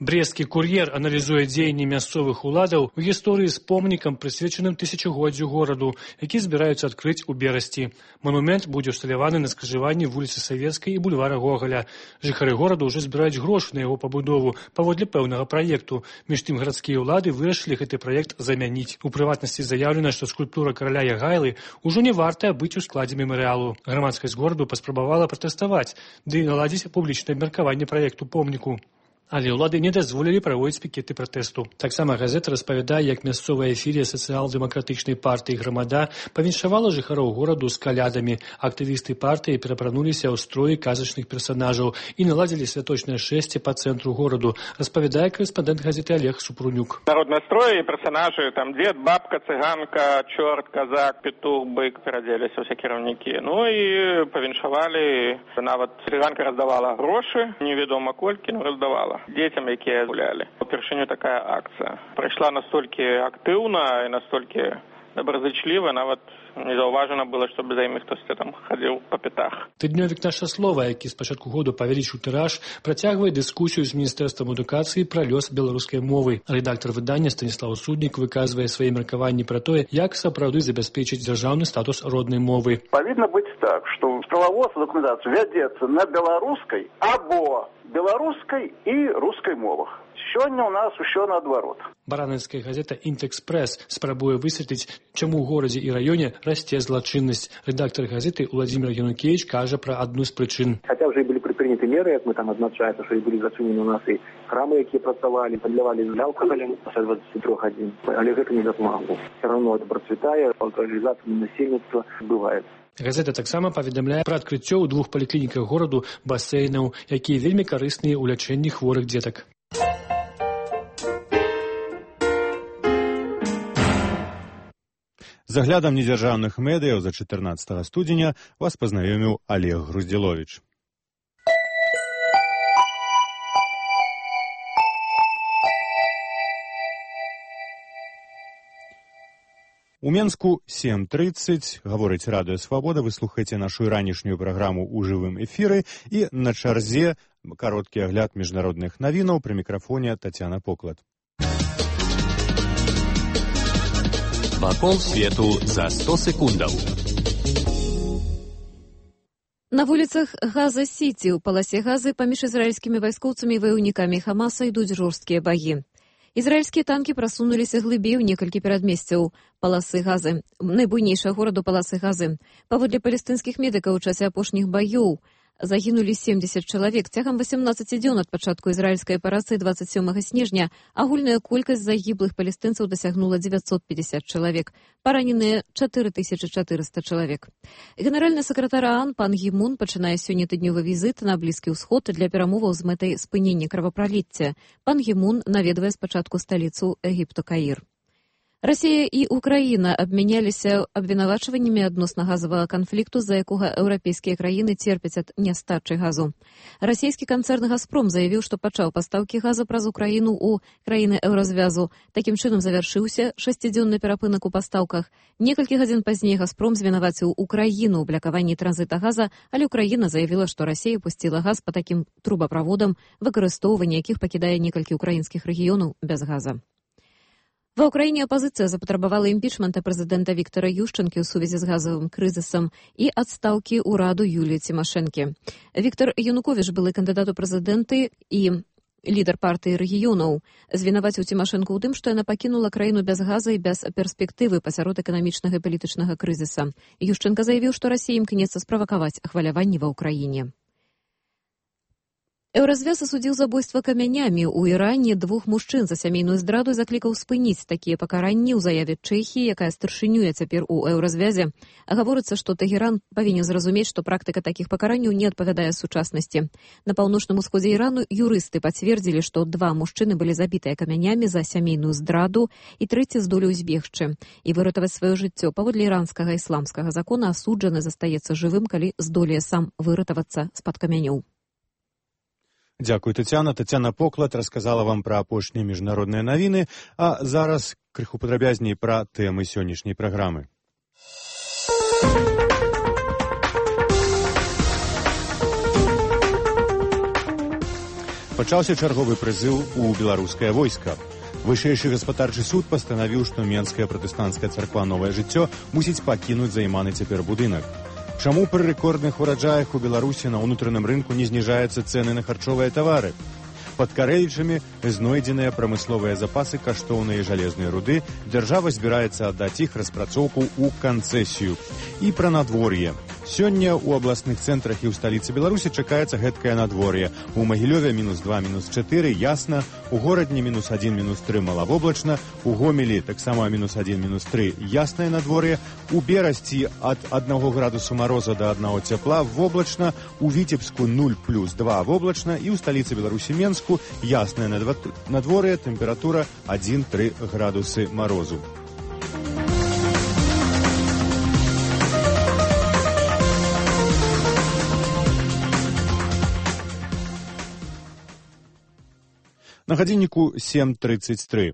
Брестскі кур'ер аналізуе дзеянні мясцовых уладаў у гісторыі з помнікам, прысвечаным тысячагоддзю гораду, які збіраюцца адкрыць у Берасці. Манумент будзе ўсталяваны на скрыжаванні вуліцы Савецкай і бульвара Гогаля. Жыхары гораду ўжо збіраюць грошы на яго пабудову паводле пэўнага праекту. Між тым гарадскія ўлады вырашылі гэты праект замяніць. У прыватнасці заяўлена, што скульптура караля Ягайлы ўжо не вартая быць у складзе мемарыялу. Грамадскасць гораду паспрабавала пратэставаць, ды і наладзіць публічнае абмеркаванне праекту помніку. Але ўлады не дазволілі праводзіць пікеты пратэсту. Таксама газета распавядае, як мясцовая філія сацыял-дэмакратычнай партыі «Грамада» павіншавала жыхароў гораду з калядамі. Актывісты партыі перапрануліся ў строі казачных персанажаў і наладзілі святочнае шэсце па цэнтру гораду, распавядае корэспандэнт газеты Олег Супрунюк. Народныя строі і персанажы, там дзед, бабка, цыганка, чорт, казак, петух, бык, перадзеліся ўсе кіраўнікі. Ну і павіншавалі, нават цыганка раздавала грошы, невядома колькі, но раздавала дзецям, якія гулялі. Упершыню такая акцыя прайшла настолькі актыўна і настолькі добразычліва, нават не заўважана было, щоб за імі хтосьці там хадзіў па пятах. Тыднёвік «Наша слова», які з пачатку году павялічыў тыраж, працягвае дыскусію з міністэрствам адукацыі пра лёс беларускай мовы. Рэдактар выдання Станіслаў Суднік выказвае свае меркаванні пра тое, як сапраўды забяспечыць дзяржаўны статус роднай мовы. Павінна быць так, што прававодства дакументацыі вядзецца на беларускай або беларускай і рускай мовах. Сёння ў нас усё наадварот. Баранаўская газета «Інтэкспрэс» спрабуе высветліць, чаму ў горадзе і раёне расце злачыннасць. Рэдактар газеты Владзімир Янукевіч кажа пра адну з прычын. Хаця ўжо і былі прыняты меры, як мы там адзначаецца, што і былі зачынены у нас і храмы, якія працавалі, падлявалі алкаголем пасля 23 гадзін. Але гэта не дапамагло. Все равно это процветае, алкагалізацыя насельніцтва адбываецца. Газета таксама паведамляе пра адкрыццё ў 2 паліклініках гораду басейнаў, якія вельмі карысныя ў лячэнні хворых дзетак. З аглядам недзяржаўных медыяў за 14 студзеня вас пазнаёміў Олег Груздзіловіч. У Менску 7:30, гаворыць Радыё Свабода, вы слухаеце нашу ранішнюю праграму ў жывым эфіры і на чарзе кароткі агляд міжнародных навінаў, пры мікрафоне Тацяна Поклад. Вакол свету за 100 секундаў. На вуліцах Газа-Сіці ў паласе Газы паміж ізраільскімі вайскоўцамі і ваяўнікамі Хамаса ідуць жорсткія баі. Ізраільскія танкі прасунуліся глыбей у некалькі перадмесцяў паласы Газы, найбуйнейшага гораду паласы Газы. Паводле палестынскіх медыкаў у часе апошніх баёў загінулі 70 чалавек. Цягам 18 дзён ад пачатку ізраільскай аперацыі 27 снежня агульная колькасць загіблых палестынцаў дасягнула 950 чалавек. Параненыя 4400 чалавек. Генеральны сакратар ААН пан Гі Мун пачынае сёння тыднёвы візіт на Блізкі ўсход для перамоваў з мэтай спынення кровапраліцця. Пан Гі Мун наведвае спачатку сталіцу Егіпту Каір. Расія і Украіна абмяняліся абвінавачваннямі адносна газавага канфлікту, з-за якога еўрапейскія краіны церпяць ад нястачы газу. Расійскі канцэрн «Газпром» заявіў, што пачаў пастаўкі газа праз Украіну ў краіны еўразвязу. Такім чынам завяршыўся 6-дзённы перапынак у пастаўках. Некалькі гадзін пазней «Газпром» звінаваціў Украіну ў блакаванні транзіта газа, але Украіна заявіла, што Расія пусціла газ па такім трубаправодам, выкарыстоўванне якіх пакідае некалькі ўкраінскіх рэгіёнаў без газа. Ва ўкраіне апазіцыя запатрабавала імпічмента прэзідэнта Віктара Ющэнкі ў сувязі з газавым крызісам і адстаўкі ўраду Юліі Цімашэнкі. Віктар Януковіч, былы кандыдат у прэзідэнты і лідар партыі рэгіёнаў, звінаваціў Цімашэнку ў тым, што яна пакінула краіну без газа і без перспектывы пасярод эканамічнага і палітычнага крызіса. Ющэнка заявіў, што Расія імкнецца справакаваць хваляванні ва ўкраіне. Еўразвяз асудзіў забойства камянямі ў Іране 2 мужчын за сямейную здраду і заклікаў спыніць такія пакаранні ў заяве Чэхіі, якая старшынюе цяпер у еўразвязе. Гаворыцца, што Тэгеран павінен зразумець, што практыка такіх пакаранняў не адпавядае сучаснасці. На паўночным усходзе Ірану юрысты пацвердзілі, што 2 мужчыны былі забітыя камянямі за сямейную здраду і трэці здолеў збегчы і выратаваць сваё жыццё. Паводле іранскага ісламскага закона асуджаны застаецца жывым, калі здолее сам выратавацца з-пад камянёў. Дзякуй, Тацяна. Тацяна Поклад расказала вам пра апошнія міжнародныя навіны, а зараз крыху падрабязней пра тэмы сённяшняй праграмы. Пачаўся чарговы прызыў у беларускае войска. Вышэйшы гаспадарчы суд пастанавіў, што Менская пратэстанцкая царква «Новае жыццё» мусіць пакінуць займаны цяпер будынак. Чаму пры рэкордных ураджаях у Беларусі на ўнутраным рынку не зніжаюцца цэны на харчовыя тавары? Пад Карэлічамі знойдзеныя прамысловыя запасы каштоўнай жалезнай руды, дзяржава збіраецца аддаць іх распрацоўку ў канцэсію. І пра надвор'е. Сёння ў абласных цэнтрах і ў сталіцы Беларусі чакаецца гэткае надвор'е. У Магілёве -2, -4, ясна, у горадні -1, -3 малавоблачна, у Гомелі таксама -1, -3 яснае надвор'е, у Берасці ад 1 градусу мароза да 1 цяпла воблачна, у Віцебску 0+2 воблачна і ў сталіцы Беларусі Менску яснае надвор'е, тэмпература 1-3 градусы марозу. На гадзінніку 7:33.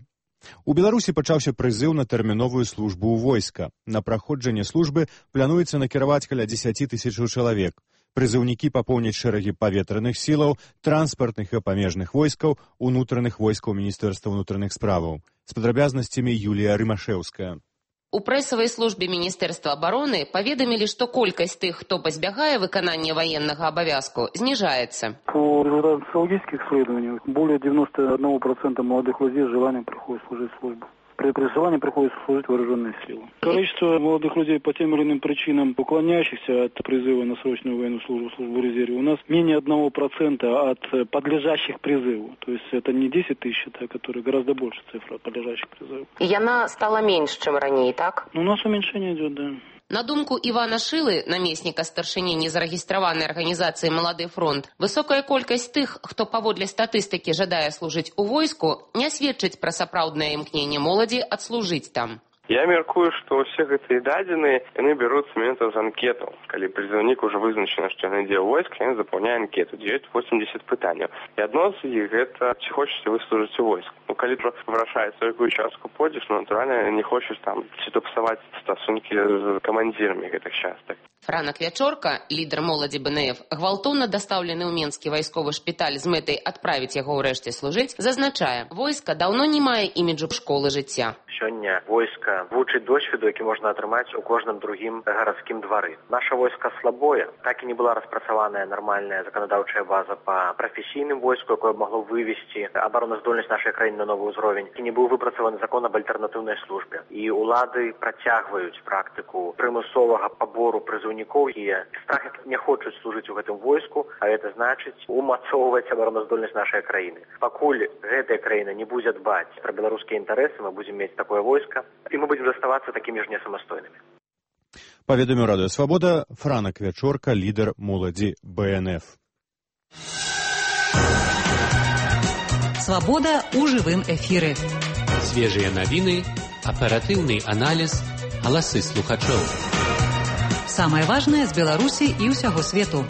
У Беларусі пачаўся прызыў на тэрміновую службу ў войска. На праходжанне службы плануецца накіраваць каля 10 000 чалавек. Прызыўнікі папоўняць шэрагі паветраных сілаў, транспартных і памежных войскаў, унутраных войскаў Міністэрства ўнутраных справаў. З падрабязнасцямі Юлія Рымашэўская. У прэсавай службе Міністэрства абароны паведамілі, што колькасць тых, хто пазбягае выканання ваеннага абавязку, зніжаецца. По результатам социологических исследований более 91% молодых людей с желанием приходят служить службу. при призывании приходится служить в вооруженные силы. Количество молодых людей по тем или иным причинам, уклоняющихся от призыва на срочную военную службу в резерве, у нас менее 1% от подлежащих призыву. То есть это не 10 тысяч, это которые гораздо больше цифра подлежащих призыву. И она стала меньше, чем ранее, так? У нас уменьшение идет, да. На думку Івана Шилы, намесніка старшыні незарэгістраванай арганізацыі «Малады фронт», высокая колькасць тых, хто паводле статыстыкі жадае служыць у войску, не сведчыць пра сапраўднае імкненне моладзі адслужыць там. Я мяркую, што ўсе гэтыя дадзеныя, яны бяруцца менавіта з анкетаў. Калі прызыўнік ужо вызначана, што ён ідзе ў войск, ён запаўняе анкету, дзе ёсць 80 пытанняў. І адно з іх гэта, ці хочаце вы служыць у войск. Калі вырашаецца, якую частку пойдзеш, натуральна, не хочаш там ці то псаваць стасункі з камандзірамі гэтых частак. Франак Вячорка, лідар моладзі БНФ, гвалтоўна дастаўлены ў Менскі вайсковы шпіталь з мэтай адправіць яго ўрэшце служыць, зазначае, войска даўно не мае іміджу школы жыцця. Сёння войска вучыць досведу, які можна атрымаць у кожным другім гарадскім двары. Наша войска слабое, так і не была распрацаваная нармальная заканадаўчая база па прафесійным войску, якое магло вывесці абароназдольнасць нашай краіны на новы ўзровень. І не быў выпрацаваны закон аб альтэрнатыўнай службе. І ўлады працягваюць практыку прымусовага пабору прызыўнікоў, і страх не хочуць служыць у гэтым войску, а гэта значыць умацоўваць абароназдольнасць нашай краіны. Пакуль гэтая краіна не будзе дбаць пра беларускія інтарэсы, мы будзем мець такое войска, і мы будзем заставацца такімі ж несамастойнымі. Паведаміў Радыё Свабода Франак Вячорка, лідар моладзі БНФ. Свабода ў жывым эфіры. Свежыя навіны, аператыўны аналіз, галасы слухачоў. Самае важнае з Беларусі і ўсяго свету.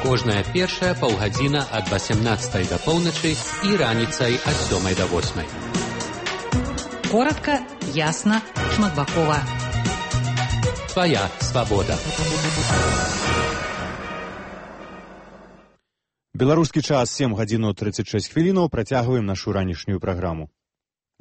Кожная першая паўгадзіна ад 18 да поўначы і раніцай ад 7 да 8. Коротка, ясна, шматбакова. Твоя свабода. Беларускі час 7 гадзін 36 хвілінаў. Працягваем нашу ранішнюю праграму.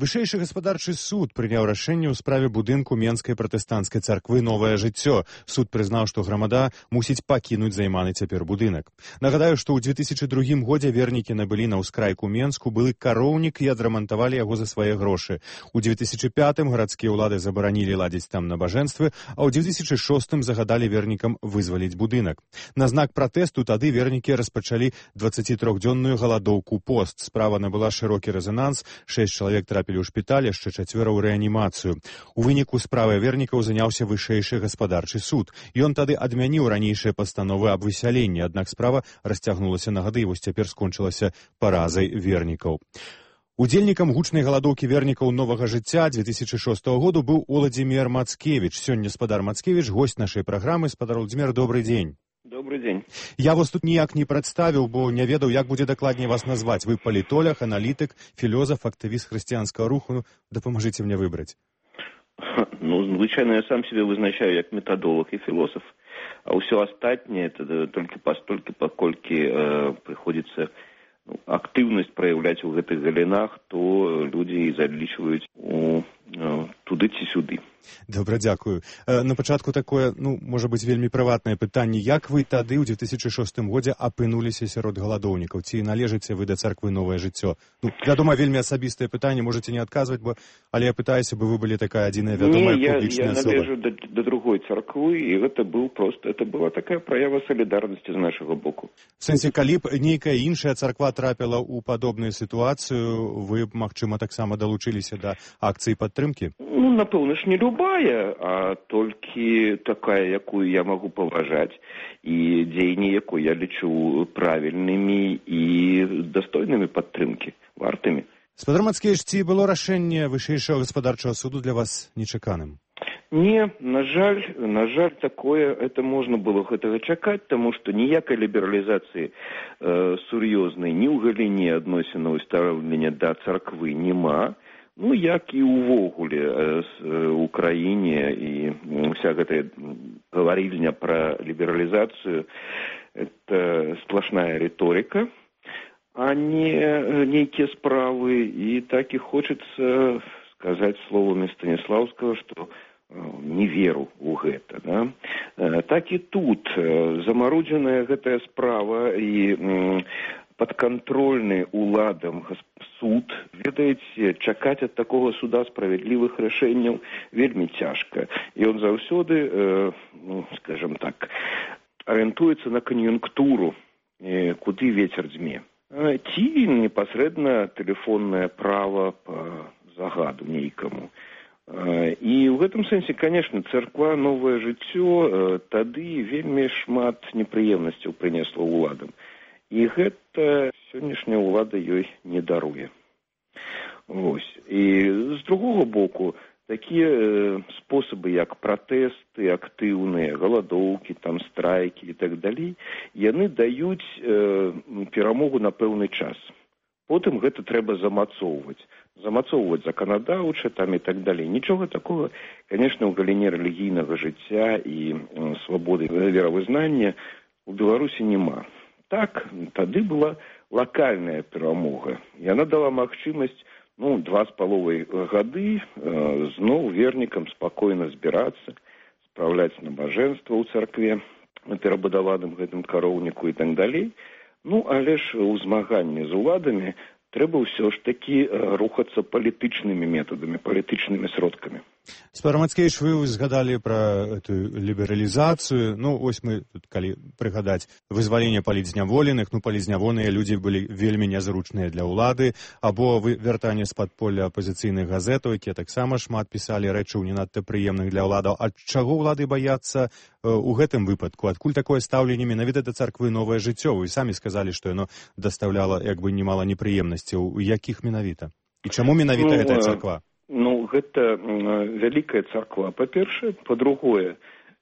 Вышэйшы гаспадарчы суд прыняў рашэнне ў справе будынку Менскай пратэстанцкай царквы «Новае жыццё». Суд прызнаў, што грамада мусіць пакінуць займаны цяпер будынак. Нагадаю, што ў 2002 годзе вернікі набылі на ўскрайку Менску былы кароўнік і адрамантавалі яго за свае грошы. У 2005 гарадскія ўлады забаранілі ладзіць там набажэнствы, а ў 2006 загадалі вернікам вызваліць будынак. На знак пратэсту тады вернікі распачалі 23-дзённую галадоўку пост. Справа набыла шырокі рэзананс, 6 чалавек трапілі ў шпіталь, яшчэ 4 ў рэанімацыю. У выніку справай вернікаў заняўся вышэйшы гаспадарчы суд. Ён тады адмяніў ранейшыя пастановы аб высяленні, аднак справа расцягнулася на гады і вось цяпер скончылася паразай вернікаў. Удзельнікам гучнай галадоўкі вернікаў новага жыцця 2006 году быў Уладзімір Мацкевіч. Сёння спадар Мацкевіч, госць нашай праграмы. Спадар Уладзімір, добрый дзень. Добрый день. Я вас тут ніяк не прадставіў, бо не ведаў, як будзе дакладней вас назваць. Вы палітолог, аналітык, філёзаф, актывіст хрысціянскага руху. Дапамажыце мне выбраць. Ну, звычайно, я сам себе вызначаю як методолог и философ. А ўсё астатняе это только постолькі, паколькі приходится актыўнасць праяўляць у гэтых галінах, то людзі залічваюць туды ці сюды. Добра, дзякую. На пачатку такое, можа быць, вельмі прыватнае пытанне. Як вы тады ў 2006 годзе апынуліся сярод галадоўнікаў? Ці належыце вы да царквы «Новае жыццё»? Вядома, вельмі асабістае пытанне, можаце не адказваць, але я пытаюся, бы вы былі такая адзіная вядомая публічная асоба. Не, я належу да другой царквы, і гэта была такая праява салідарнасці з нашага боку. В сэнсе, калі б нейкая іншая царква трапіла ў падобную сітуацыю, вы б, магчыма, таксама далучыліся да акцыі падтрымкі? Напэўна ж, не любая, а толькі такая, якую я магу паважаць, і дзеянні якой я лічу правільнымі і дастойнымі падтрымкі, вартымі. Спадар Мацкевіч, ці было рашэнне вышэйшага гаспадарчага суду для вас нечаканым? Не, на жаль, такое, это можно было гэтага чакаць, таму што ніякай лібералізацыі сур'ёзнай ні ў галіне адносінаў і стаўлення да царквы няма. Як і ўвогуле ў краіне, і вся гэтая гаварільня пра лібералізацыю – это сплошная риторика, а не нейкія справы. І так і хочацца сказаць словамі Станіслаўскага, што не веру ў гэта. Да? Так і тут замарудзеная гэтая справа, і падкантрольны уладам суд, ведаеце, чакаць ад такога суда справядлівых рашэнняў вельмі цяжка. І он заўсёды, скажем так, арыентуецца на кан'юнктуру, куды вецер дзьме. Ці непасрэдна тэлефоннае права па загаду нейкаму. І ў гэтым сэнсе, конечно, царква «Новае жыццё» тады вельмі шмат непрыемнасцяў прынесла ўладам. І гэта сённяшняя ўлада ёй не даруе. Вось. І з другога боку, такія спосабы, як пратэсты актыўныя, галадоўкі, там страйкі і так далей, яны даюць перамогу на пэўны час. Потым гэта трэба замацоўваць заканадаўча там і так далей. Нічога такога, конечно, ў галіне рэлігійнага жыцця і свабоды веравызнання у Беларусі няма. Так, тады была лакальная перамога. Яна дала магчымасць 2,5 гады зноў вернікам спакойна збірацца, спраўляць набажэнства ў царкве на перабудаваным гэтым кароўніку і так далей. Але ж у змаганні з уладамі трэба ўсё ж такі рухацца палітычнымі метадамі, палітычнымі сродкамі. Спадар Мацкевіч, вы згадалі пра эту лібералізацыю. Вось мы тут, калі прыгадаць вызваленне палітзняволеных, палітзняволеныя людзі былі вельмі нязручныя для ўлады, або вяртанне з падполля апазіцыйных газетаў, якія таксама шмат пісалі рэчаў не надта прыемных для ўладаў. Ад чаго ўлады баяцца у гэтым выпадку? Адкуль такое стаўленне менавіта да царквы «Новае жыццё»? Вы самі сказалі, што яно дастаўляла немала непрыемнасцяў. У якіх менавіта? І чаму менавіта гэтая царква? Гэта вялікая царква, па-першае. Па-другое,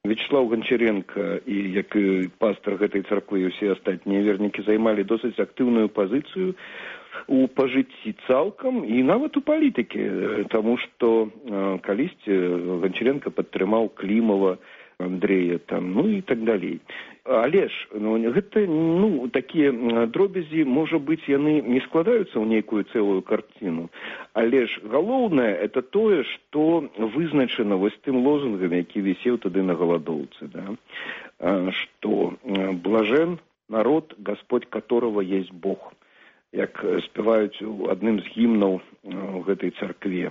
Вячеслав Гончаренко і як пастор гэтай царквы і ўсе астатнія вернікі займалі досыць актыўную пазіцыю у пажыцці цалкам і нават у палітыкі, таму што калісьці Гончаренко падтрымаў Клімова, Андрея там, і так далей. Але ж, гэта, такія дробязі, можа быць, яны не складаюцца ў нейкую цэлую карціну. Але ж галоўнае, это тое, што вызначана вось тым лозунгам, які вісеў тады на галадоўцы, да? Што блажен народ, Господь которого есть Бог, як спяваюць у адным з гімнаў у гэтай царкве.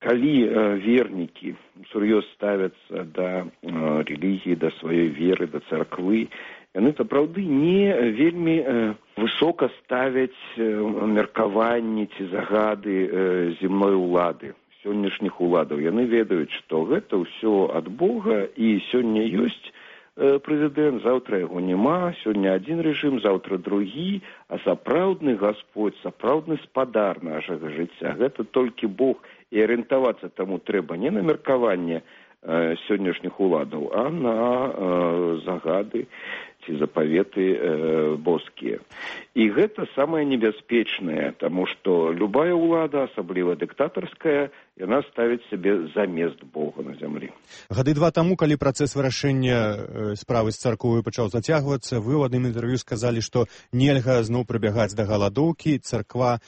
Калі вернікі сур'ёз ставяцца да рэлігіі, да сваёй веры, да царквы, яны сапраўды не вельмі высока ставяць меркаванні ці загады земной улады, сённяшніх уладаў. Яны ведаюць, што гэта ўсё ад Бога, і сёння ёсць прэзідэнт, заўтра яго няма, сёння адзін рэжым, заўтра другі, а сапраўдны Гасподзь, сапраўдны спадар нашага жыцця, гэта толькі Бог. І арыентавацца таму трэба не на меркаванне сённяшніх уладаў, а на загады ці запаветы боскія. І гэта самае небяспечнае, таму што любая ўлада, асабліва дыктатарская, яна ставіць сябе замест Бога на зямлі. Гады 2 таму, калі працэс вырашэння справы з царквой пачаў зацягвацца, вы ў адным інтэрв'ю сказалі, што нельга зноў прыбягаць да галадоўкі, царква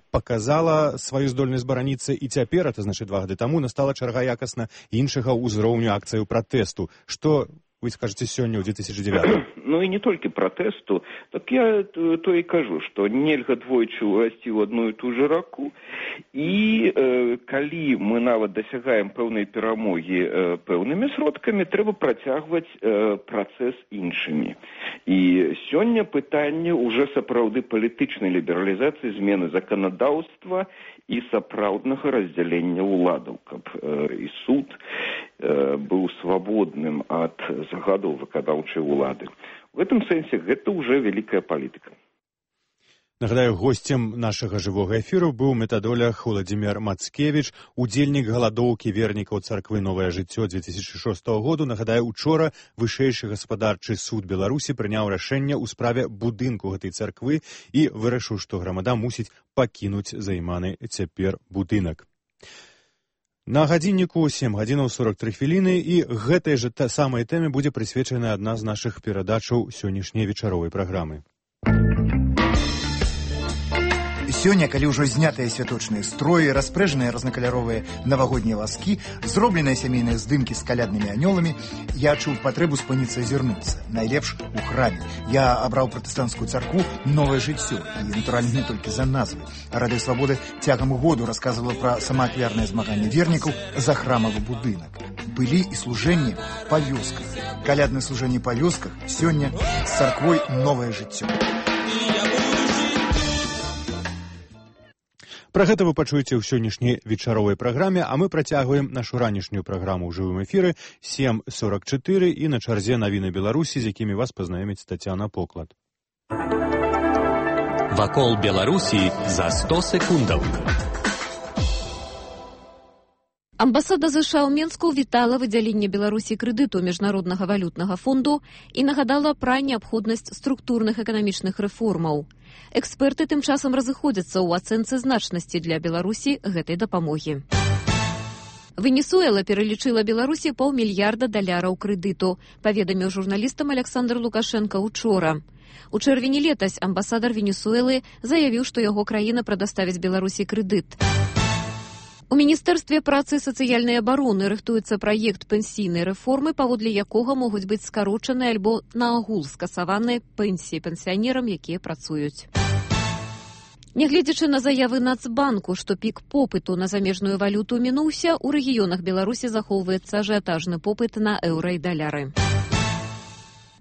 показала сваю здольнасць бараніцца, і цяпер, это значыць 2 гады таму, настала чарга якасна іншага ўзроўню акцыяў пратэсту. Што вы скажаце сёння ў 2009? І не толькі пратэсту, так я то і кажу, што нельга двойчы ўвайсці ў адну і ту же раку, і калі мы нават дасягаем пэўнай перамогі пэўнымі сродкамі, трэба працягваць працэс іншымі. І сёння пытанне ўжо сапраўды палітычнай лібералізацыі, змены заканадаўства і сапраўднага раздзялення ўладаў, каб і суд быў свабодным ад загадаў выканаўчай улады. В этом сэнсе гэта ўжо вялікая палітыка. Нагадаю, госцем нашага жывога эфіру быў метадолог Владзімір Мацкевіч, удзельнік галадоўкі вернікаў царквы «Новае жыццё» 2006 году. Нагадаю, учора вышэйшы гаспадарчы суд Беларусі прыняў рашэнне ў справе будынку гэтай царквы і вырашыў, што грамада мусіць пакінуць займаны цяпер будынак. На гадзінніку 7 гадзінаў 43 хвіліны, і гэтай жа самай тэме будзе прысвечана адна з нашых перадачаў сённяшняй вечаровай праграмы. сёння, калі ўжо знятыя святочныя строі, распрэжаныя рознакаляровыя навагоднія вазкі, зробленыя сямейныя здымкі з каляднымі анёламі, я адчуў патрэбу спыніцца і азірнуцца. Найлепш у храме. Я абраў пратэстанцкую царкву «Новае жыццё». І, натуральна, не толькі за назвы. Радыё Свабоды цягам году расказвала пра самаахвярнае змаганне вернікаў за храмавы будынак. Былі і служэнні па вёсках. Каляднае служэнне па вёсках сёння з царквой «Новае жыццё». Пра гэта вы пачуеце ў сённяшняй вечаровай праграме, а мы працягваем нашу ранішнюю праграму ў жывым эфіры 7:44 і на чарзе навіны Беларусі, з якімі вас пазнаёміць Тацяна Поклад. Вакол Беларусі за 100 секундаў. Амбасада США ў Менску вітала выдзяленне Беларусі крэдыту Міжнароднага валютнага фонду і нагадала пра неабходнасць структурных эканамічных рэформаў. Эксперты тым часам разыходзяцца ў ацэнцы значнасці для Беларусі гэтай дапамогі. Венесуэла пералічыла Беларусі $500 мільярда крэдыту, паведаміў журналістам Александр Лукашенко учора. У чэрвені летась амбасадар Венесуэлы заявіў, што яго краіна прадаставіць Беларусі крэдыт. У Міністэрстве працы і сацыяльнай абароны рыхтуецца праект пенсійнай рэформы, паводле якога могуць быць скарочаны альбо наогул скасаваныя пенсіі пенсіянерам, якія працуюць. Нягледзячы на заявы Нацбанку, што пік попыту на замежную валюту мінуўся, у рэгіёнах Беларусі захоўваецца ажыятажны попыт на еўра і даляры.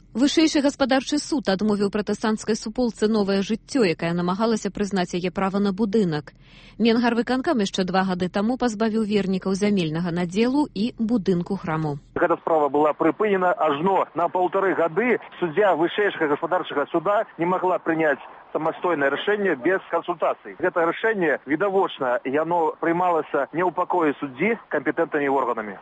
Вышэйшы гаспадарчы суд адмовіў пратэстанцкай суполцы «Новае жыццё», якая намагалася прызнаць яе права на будынак. Менгарвыканкам яшчэ 2 гады таму пазбавіў вернікаў зямельнага надзелу і будынку храму. Гэта справа была прыпынена ажно на 1,5 гады. Суддзя вышэйшага гаспадарчага суда не магла прыняць самастойнае рашэнне без кансультацый. Гэта рашэнне, відавочна, яно прымалася не ў пакоі суддзі кампетэнтнымі органамі.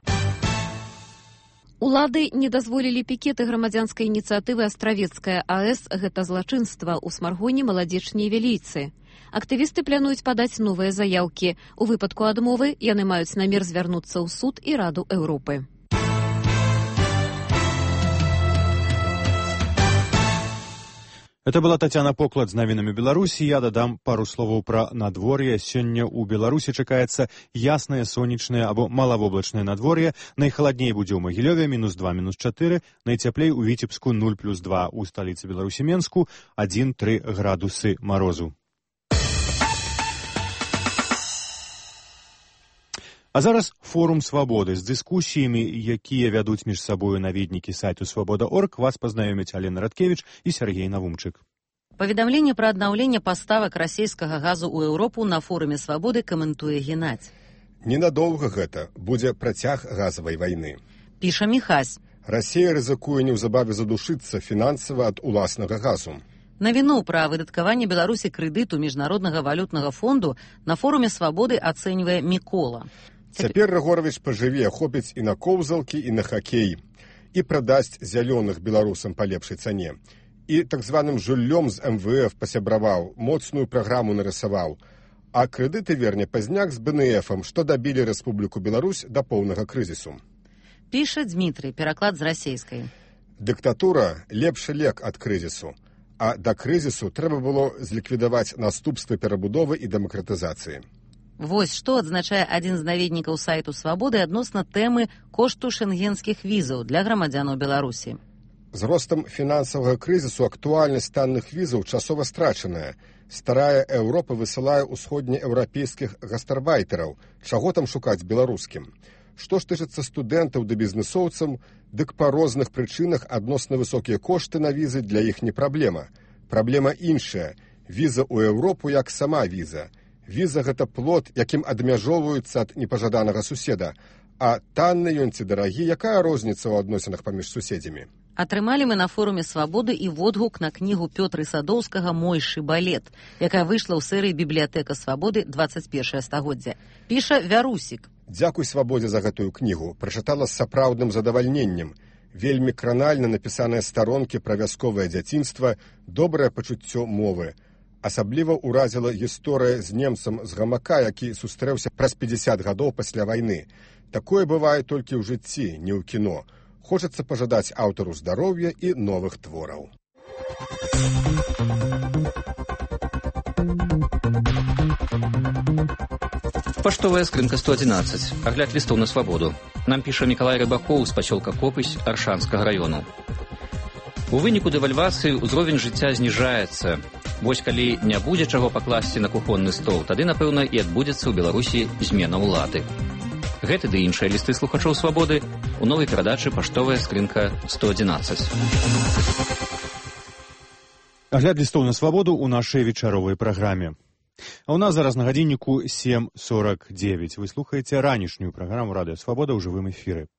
Улады не дазволілі пікеты грамадзянскай ініцыятывы «Астравецкая АЭС» гэта злачынства ў Смаргоне, Маладзечні і Вілейцы. Актывісты плануюць падаць новыя заяўкі. У выпадку адмовы яны маюць намер звярнуцца ў суд і Раду Еўропы. Это была Тацяна Поклад з навінамі Беларусі. Я дадам пару словаў пра надвор'е. Сёння ў Беларусі чакаецца яснае, сонечнае або малавоблачнае надвор'е. Найхаладней будзе ў Магілёве -2, -4, найцяплей у Віцебску 0+2, у сталіцы Беларусі Менску 1-3 градусы марозу. А зараз форум «Свабоды» з дыскусіямі, якія вядуць між сабою наведнікі сайту «Свабода.орг». Вас пазнаёмяць Алена Радкевіч і Сергей Навумчык. Паведамленне пра аднаўленне паставак расійскага газу ў Еўропу на форуме «Свабоды» каментуе Геннадзь. Ненадоўга гэта будзе працяг газавай вайны. Піша Міхась. Расія рызыкуе неўзабаве задушыцца фінансава ад уласнага газу. Навіну пра выдаткаванне Беларусі крэдыту Міжнароднага валютнага фонду на форуме «Свабоды» ацэньвае Мікола. Цяпер Рагоровіч пажыве, хопіць і на коўзалкі, і на хакей, і прадасць зялёных беларусам па лепшай цане. І так званым жуллём з МВФ пасябраваў, моцную праграму нарысаваў, а крэдыты верне пазняк з БНФам, што дабілі Рэспубліку Беларусь да поўнага крызісу. Піша Дмітрый, пераклад з расейскай. Дыктатура – лепшы лек ад крызісу, а да крызісу трэба было зліквідаваць наступствы перабудовы і дэмакратызацыі. Вось што адзначае адзін з наведнікаў сайту «Свабоды» адносна тэмы кошту шэнгенскіх візаў для грамадзянаў Беларусі. З ростам фінансавага крызісу актуальнасць танных візаў часова страчаная. Старая Еўропа высылае ўсходнееўрапейскіх гастарбайтераў. Чаго там шукаць беларускім? Што ж тычыцца студэнтаў ды бізнесоўцам, дык па розных прычынах адносна высокія кошты на візы для іх не праблема. Праблема іншая. Віза ў Еўропу як сама віза. Віза – гэта плод, якім адмяжоўваюцца ад непажаданага суседа. А танны ён ці дарагі, якая розніца ў адносінах паміж суседзямі? Атрымалі мы на форуме «Свабоды» і водгук на кнігу Пётры Садоўскага «Мой шыбалет», якая выйшла ў серыі «Бібліятэка Свабоды. 21 стагоддзя». Піша Вярусік. Дзякуй Свабодзе за гэтую кнігу. Прачытала з сапраўдным задавальненнем. Вельмі кранальна напісаныя старонкі пра вясковае дзяцінства, добрае пачуццё мовы. Асабліва ўразіла гісторыя з немцам з гамака, які сустрэўся праз 50 гадоў пасля вайны. Такое бывае толькі ў жыцці, не ў кіно. Хочацца пажадаць аўтару здароўя і новых твораў. Паштовая скрынка 111. Агляд лістоў на свабоду. Нам піша Мікалай Рыбакоў з пасёлка Копысь Аршанскага раёну. У выніку дэвальвацыі ўзровень жыцця зніжаецца. Вось калі не будзе чаго пакласці на кухонны стол, тады, напэўна, і адбудзецца ў Беларусі змена ўлады. Гэты ды іншыя лісты слухачоў свабоды у новай перадачы «Паштовая скрынка 111». Агляд лістоў на свабоду ў нашай вечаровай праграме. А ў нас зараз на гадзінніку 7:49. Вы слухаеце ранішнюю праграму «Радыё Свабода» ў жывым эфіры.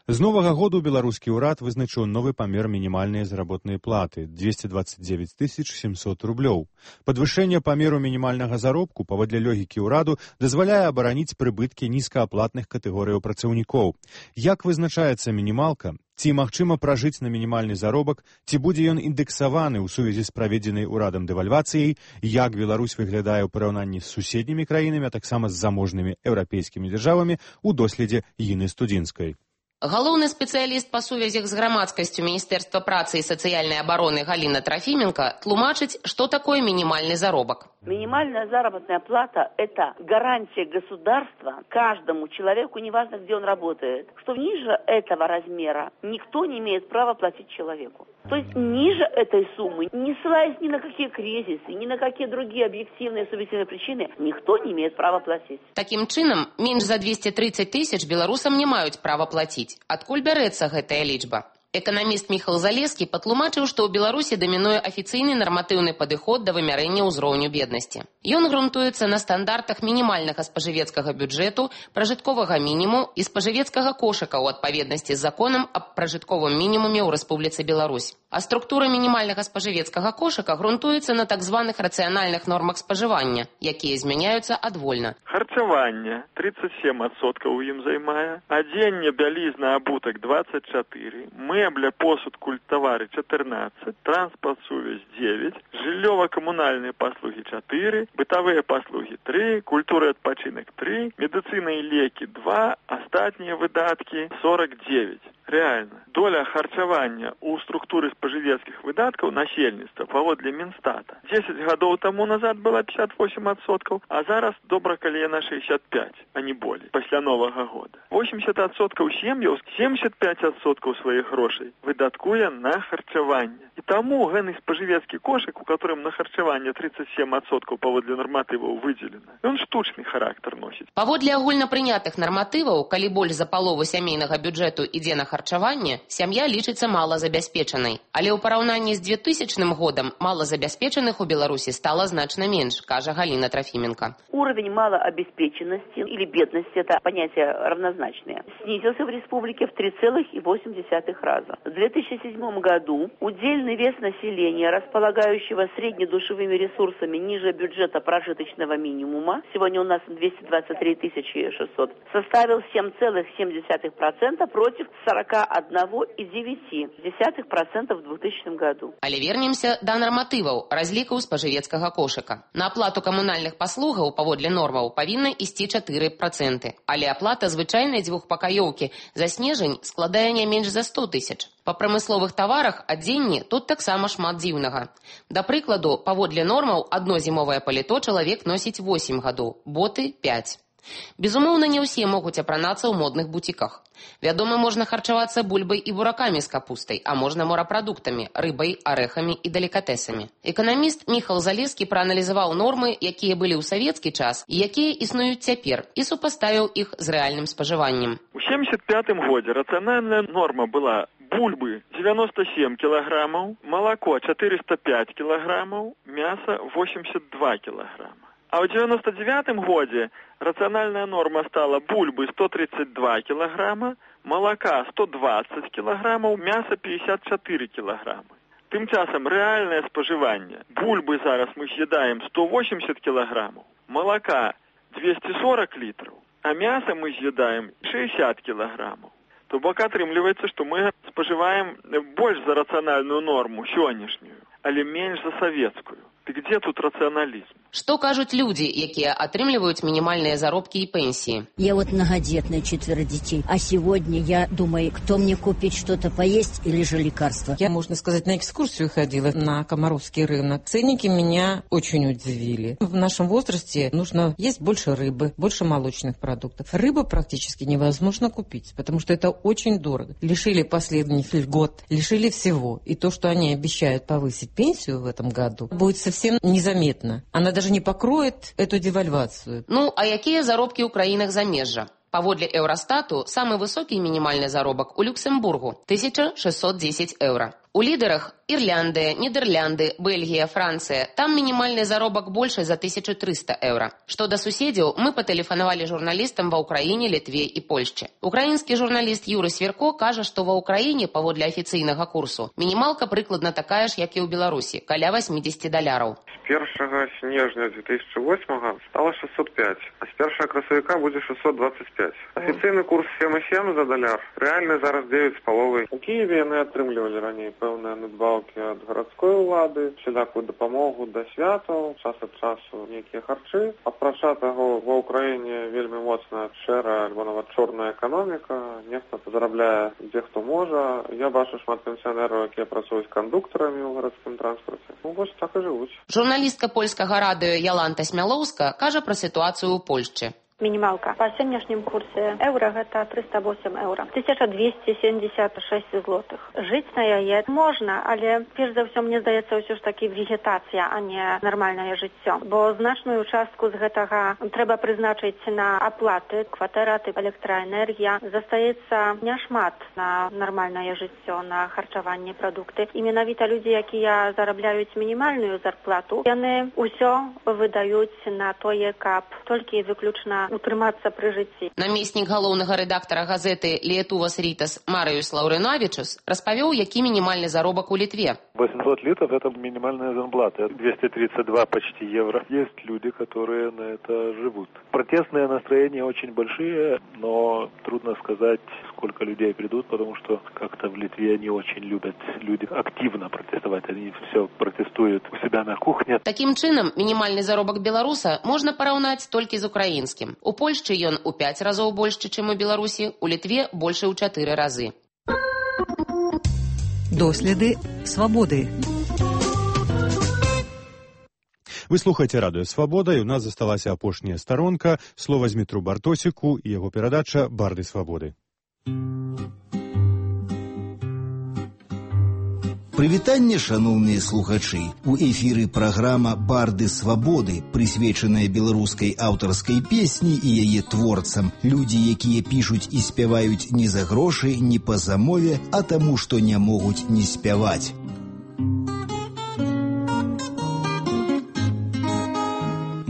З новага году беларускі ўрад вызначыў новы памер мінімальнай заработнай платы – 229 700 рублёў. Падвышэнне памеру мінімальнага заробку, паводле логікі ўраду, дазваляе абараніць прыбыткі нізкааплатных катэгорыяў працаўнікоў. Як вызначаецца мінімалка? Ці магчыма пражыць на мінімальны заробак? Ці будзе ён індексаваны ў сувязі з праведзенай урадам дэвальвацыяй? Як Беларусь выглядае ў параўнанні з суседнімі краінамі, а таксама з заможнымі еўрапейскімі дзяржавамі у доследзе Іны Студзінскай? Галоўны спецыяліст па сувязях з грамадскасцю Міністэрства працы і сацыяльнай абароны Галіна Трофименко тлумачыць, што такое мінімальны заробак. Минимальная заработная плата – это гарантия государства каждому человеку, неважно, где он работает, что ниже этого размера никто не имеет права платить человеку. То есть ниже этой суммы, не ссылаясь ни на какие кризисы, ни на какие другие объективные и субъективные причины, никто не имеет права платить. Таким чынам, менш за 230 тысяч беларусам не маюць права плаціць. Адкуль бярэцца гэтая лічба? Эканаміст Міхал Залескі патлумачыў, што ў Беларусі дамінуе афіцыйны нарматыўны падыход да вымярэння ўзроўню беднасці. Ён грунтуецца на стандартах мінімальнага спажывецкага бюджэту, пражытковага мінімуму і спажывецкага кошыка ў адпаведнасці з законам аб пражытковым мінімуме ў Рэспубліцы Беларусь. А структура мінімальнага спажывецкага кошыка грунтуецца на так званых рацыянальных нормах спажывання, якія змяняюцца адвольна. Харчаванне 37% у ім займае, адзенне, бялізна, абутак 24%, мэбля, посуд, культавары 14%, транспорт, сувязь 9%, жыллёва-камунальныя паслугі 4%, бытавыя паслугі 3%, культура і адпачынак 3%, медыцына і лекі 2%, астатнія выдаткі 49%. Реально, доля харчавання ў структуры спажывецкіх выдаткаў насельніцтва паводле Мінстата 10 гадоў таму назад была 58%, а зараз добра калі яна 65%, а не болей, пасля Новага года. 80% сем'яў, 75% сваіх грошай выдаткуе на харчаванне. І таму гэны спажывецкі кошык, у которым на харчаванне 37% паводле нарматываў выдзелена, ён штучны характар носіць. Паводле агульнапрынятых нарматываў, калі больш за палову сямейнага бюджэту ідзе на харчаванне, сям'я лічыцца малазабяспечанай. Але ў параўнанні з 2000 годам малазабяспечаных у Беларусі стала значна менш, кажа Галина Трофименко. Уровень малообеспеченности или бедности, это понятия равнозначные, снизился в республике в 3,8 раза. В 2007 году удельный вес населения, располагающего среднедушевыми ресурсами ниже бюджета прожиточного минимума, сегодня у нас 223 600, составил 7,7% против 41,9% в 2000 году. Але вернемся да нарматываў разлікаў спажывецкага кошыка. На аплату камунальных паслугаў паводле нормаў павінна ісці 4%, але аплата звычайнай дзвюхпакаёўкі за снежань складае не менш за 100 тысяч. Па прамысловых таварах адзенні тут таксама шмат дзіўнага. Да прыкладу, паводле нормаў адно зімовае паліто чалавек носіць 8 гадоў, боты 5. Безумоўна, не ўсе могуць апранацца ў модных бутіках. Вядома, можна харчавацца бульбай і буракамі з капустай, а можна морапрадуктамі, рыбай, арэхамі і далікатэсамі. Эканаміст Міхал Залескі прааналізаваў нормы, якія былі ў савецкі час і якія існуюць цяпер, і супаставіў іх з рэальным спажываннем. У 1975 годзе рацыянальная норма была бульбы 97 кілаграмаў, малако 405 кілаграмаў, мяса 82 кілаграма. А ў 99 годзе рацыянальная норма стала бульбы 132 кілаграма, малака 120 кілаграмаў, мяса 54 кілаграмы. Тым часам рэальнае спажыванне. Бульбы зараз мы з'едаем 180 кілаграмаў, малака 240 літраў, а мяса мы з'едаем 60 кілаграмаў. То бок атрымліваецца, што мы спажываем больш за рацыянальную норму сённяшнюю, але менш за савецкую. Ты где тут рационализм? Што кажуць людзі, якія атрымліваюць мінімальныя заробкі і пенсии? Я вот многодетная, 4 детей. А сегодня я думаю, кто мне купит что-то поесть или же лекарства. Я, можно сказать, на экскурсию ходила на Комаровский рынок. Ценники меня очень удивили. В нашем возрасте нужно есть больше рыбы, больше молочных продуктов. Рыбу практически невозможно купить, потому что это очень дорого. Лишили последних льгот, лишили всего. И то, что они обещают повысить пенсию в этом году, будет совсем незаметно. Она даже не покроет эту девальвацию. Ну, а якія заробкі ў краінах замежжа? Паводле Еўрастату, самы высокі мінімальны заробак у Люксембургу – 1610 евро. У лідерах Ірландыя, Нідерлянды, Бельгія, Францыя. Там мінімальны заробак больше за 1300 евро. Што да суседзяў, мы патэлефанавалі журналістам ва Ўкраіне, Літве і Польшчы. Украінскі журналіст Юры Сверко кажа, што ва Ўкраіне, паводле афіцыйнага курсу, мінімалка прыкладна такая ж, як і ў Беларусі, каля $80. З 1 снежня 2008 стала 605, а з 1 красавіка будзе 625. Афіцыйны курс 7,7 за $. Рэальны зараз 9,5. У Киеве яны атрымлівалі раней пэўныя надбаўкі ад гарадской улады, всялякую дапамогу да святаў, час ад часу нейкія харчы. Апрача таго, ва Ўкраіне вельмі моцная шэрая альбо нават чорная эканоміка, нехта зарабляе дзе хто можа. Я бачу шмат пенсіянераў, якія працуюць кандуктарамі ў гарадскім транспарце. Ну, вось так і жывуць. Журналістка польскага радыё Яланта Смялоўска кажа пра сітуацыю ў Польшчы. Минималка. По сегодняшнем курсе евро это 308 евро. 1276 злотых. Жить на яе можно, але перш за все, мне здаецца, ўсё ж таки вегетацыя, а не нормальное жыццё. Бо значную частку з гэтага трэба прызначыць на аплаты, кватэра, электраэнергія. Застаецца няшмат на нормальное жыццё, на харчаванне, прадукты. І менавіта людзі, якія зарабляюць мінімальную зарплату, яны ўсё выдаюць на тое, каб толькі выключна утрымацца пры жыцці. Намеснік галоўнага рэдактара газеты «Лиетувас Ритас» Мариус Лаўринавичус распавёў, які мінімальны заробак у Литве. 800 литов – это минимальная зарплата. 232 почти евро. Есть люди, которые на это живут. Протестные настроения очень большие, но трудно сказать, сколько людей придут, потому что как-то в Литве не очень любят люди активно протестовать. Они все протестуют у себя на кухне. Таким чынам, мінімальны заробак беларуса можна параўнаць толькі з украінскім. У Польшчы ён у 5 разоў больш, чым у Беларусі, у Літве больш у 4 разы. Доследы свабоды. Вы слухаеце радыё «Свабода», і ў нас засталася апошняя старонка. Слова Змітру Бартосіку і яго перадача «Барды свабоды». Прывітанне, шаноўныя слухачы. У эфіры праграма «Барды свабоды», прысвечаная беларускай аўтарскай песні і яе творцам. Людзі, якія пішуць і спяваюць не за грошы, не па замове, а таму, што не могуць не спяваць.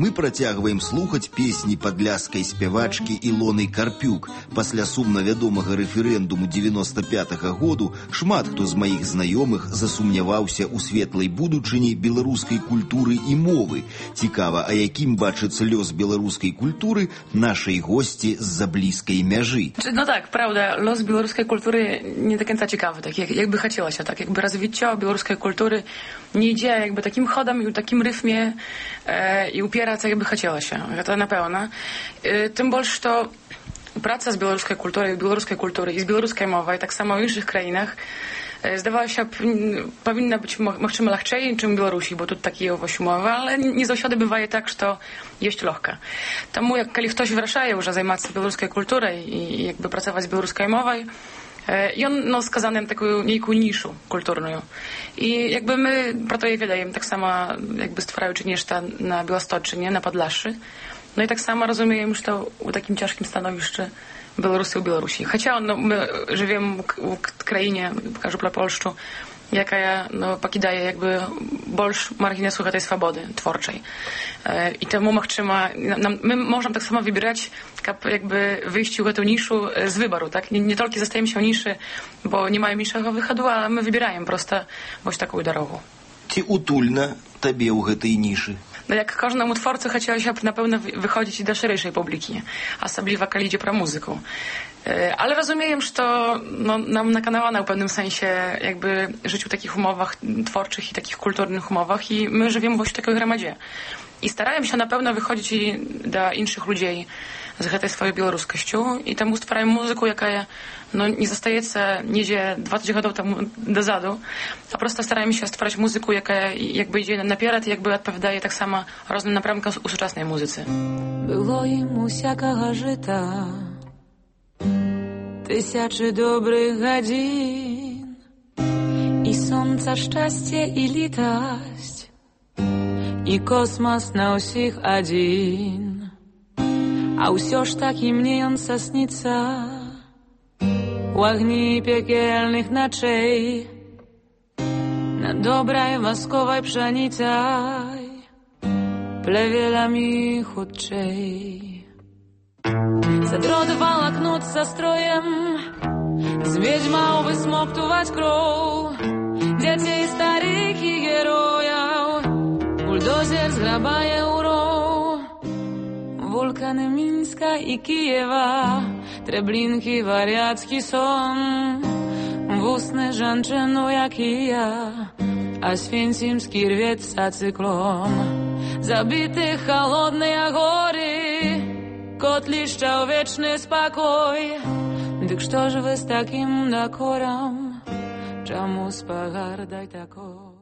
Мы працягваем слухаць песні падляшскай спявачкі Ілоны Карпюк. Пасля сумна вядомага рэферэндуму 95-го году шмат хто з маіх знаёмых засумняваўся ў светлай будучыні беларускай культуры і мовы. Цікава, а якім бачыцца лёс беларускай культуры нашай госці з-за блізкай мяжы. No tak, prawda, los białoruskiej kultury nie do końca ciekawy, tak jakby chciało się, tak jakby rozwicie białoruskiej kultury nie idzie jakby takim chodem i w takim rytmie i upiera, co jakby chciało się. To na pewno. Tym bardziej, że praca z białoruskiej kultury i z białoruskiej mowy, tak samo w innych krajach, zdawało się, powinna być możliwe łatwiej niż w Białorusi, bo tu takie umowy, ale nie zawsze bywa tak, że to jest lekko. Тому, jak kiedy ktoś wracaje już zajmować się białoruską kulturą i jakby pracować z białoruską mową, i on skazany taką niejką niszu kulturną. I jakby my pro to je wydajemy tak samo jakby stwarając nieszta na Białostoczynie, na Podlaszy. No i tak samo rozumiemy, że to w takim ciężkim stanowisku Białorusy u Białorusi. Chociaż my żyjemy w krainie, pokażę dla Polszczu, jaka pokidaje jakby больше marginesu tej swobody twórczej. I temu my możemy tak samo wybierać, jakby wyjść w tę niszu z wyboru, tak? Nie tylko zostajemy się w niszy, bo nie mają innego wychodu, ale my wybieramy prosto właśnie taką drogą. Ці утульна табе ў гэтай нішы? no jak każdemu twórcy chciało się na pewno wychodzić do szerszej publiki, особливо коли йде про muzykę. Ale rozumiem, że to nam nakanało w pewnym sensie jakby żyć w takich umowach twórczych i takich kulturnych umowach i my żyjemy właśnie w takiej gromadzie. I starałem się na pewno wychodzić do innych ludzi z tej swojej białoruskością i temu stwarają muzykę, jaka nie zostaje nigdzie 20 lat temu dozadu, a prosto starałem się stworzyć muzykę, jaka jakby idzie napierad i jakby odpowiada tak samo różnym napramkom u współczesnej muzyce. Było im усякого żyta, tysiące dobrych godzin i słońca szczęście i litość i kosmos na усіх один. A ўсё ж такі мне ён са снится у агні пекельных ночей над добрай восковай пшаніцай плевелами хутчэй. Задротывал окнут со строем з ведьмаў высмоктуваць кроў дзяцей старых і герояў. Бульдозер зграбае ўроў вулканы Мінска і Кіева, Трэблінкі, варяцкі сон, вусны жанчыну, як і я, Освенцімскі рвецца цыклон. Забіты холодныя горы, котлішча ў вечны спакой. Дык што ж вы з такім дакорам, чаму спагардай такой?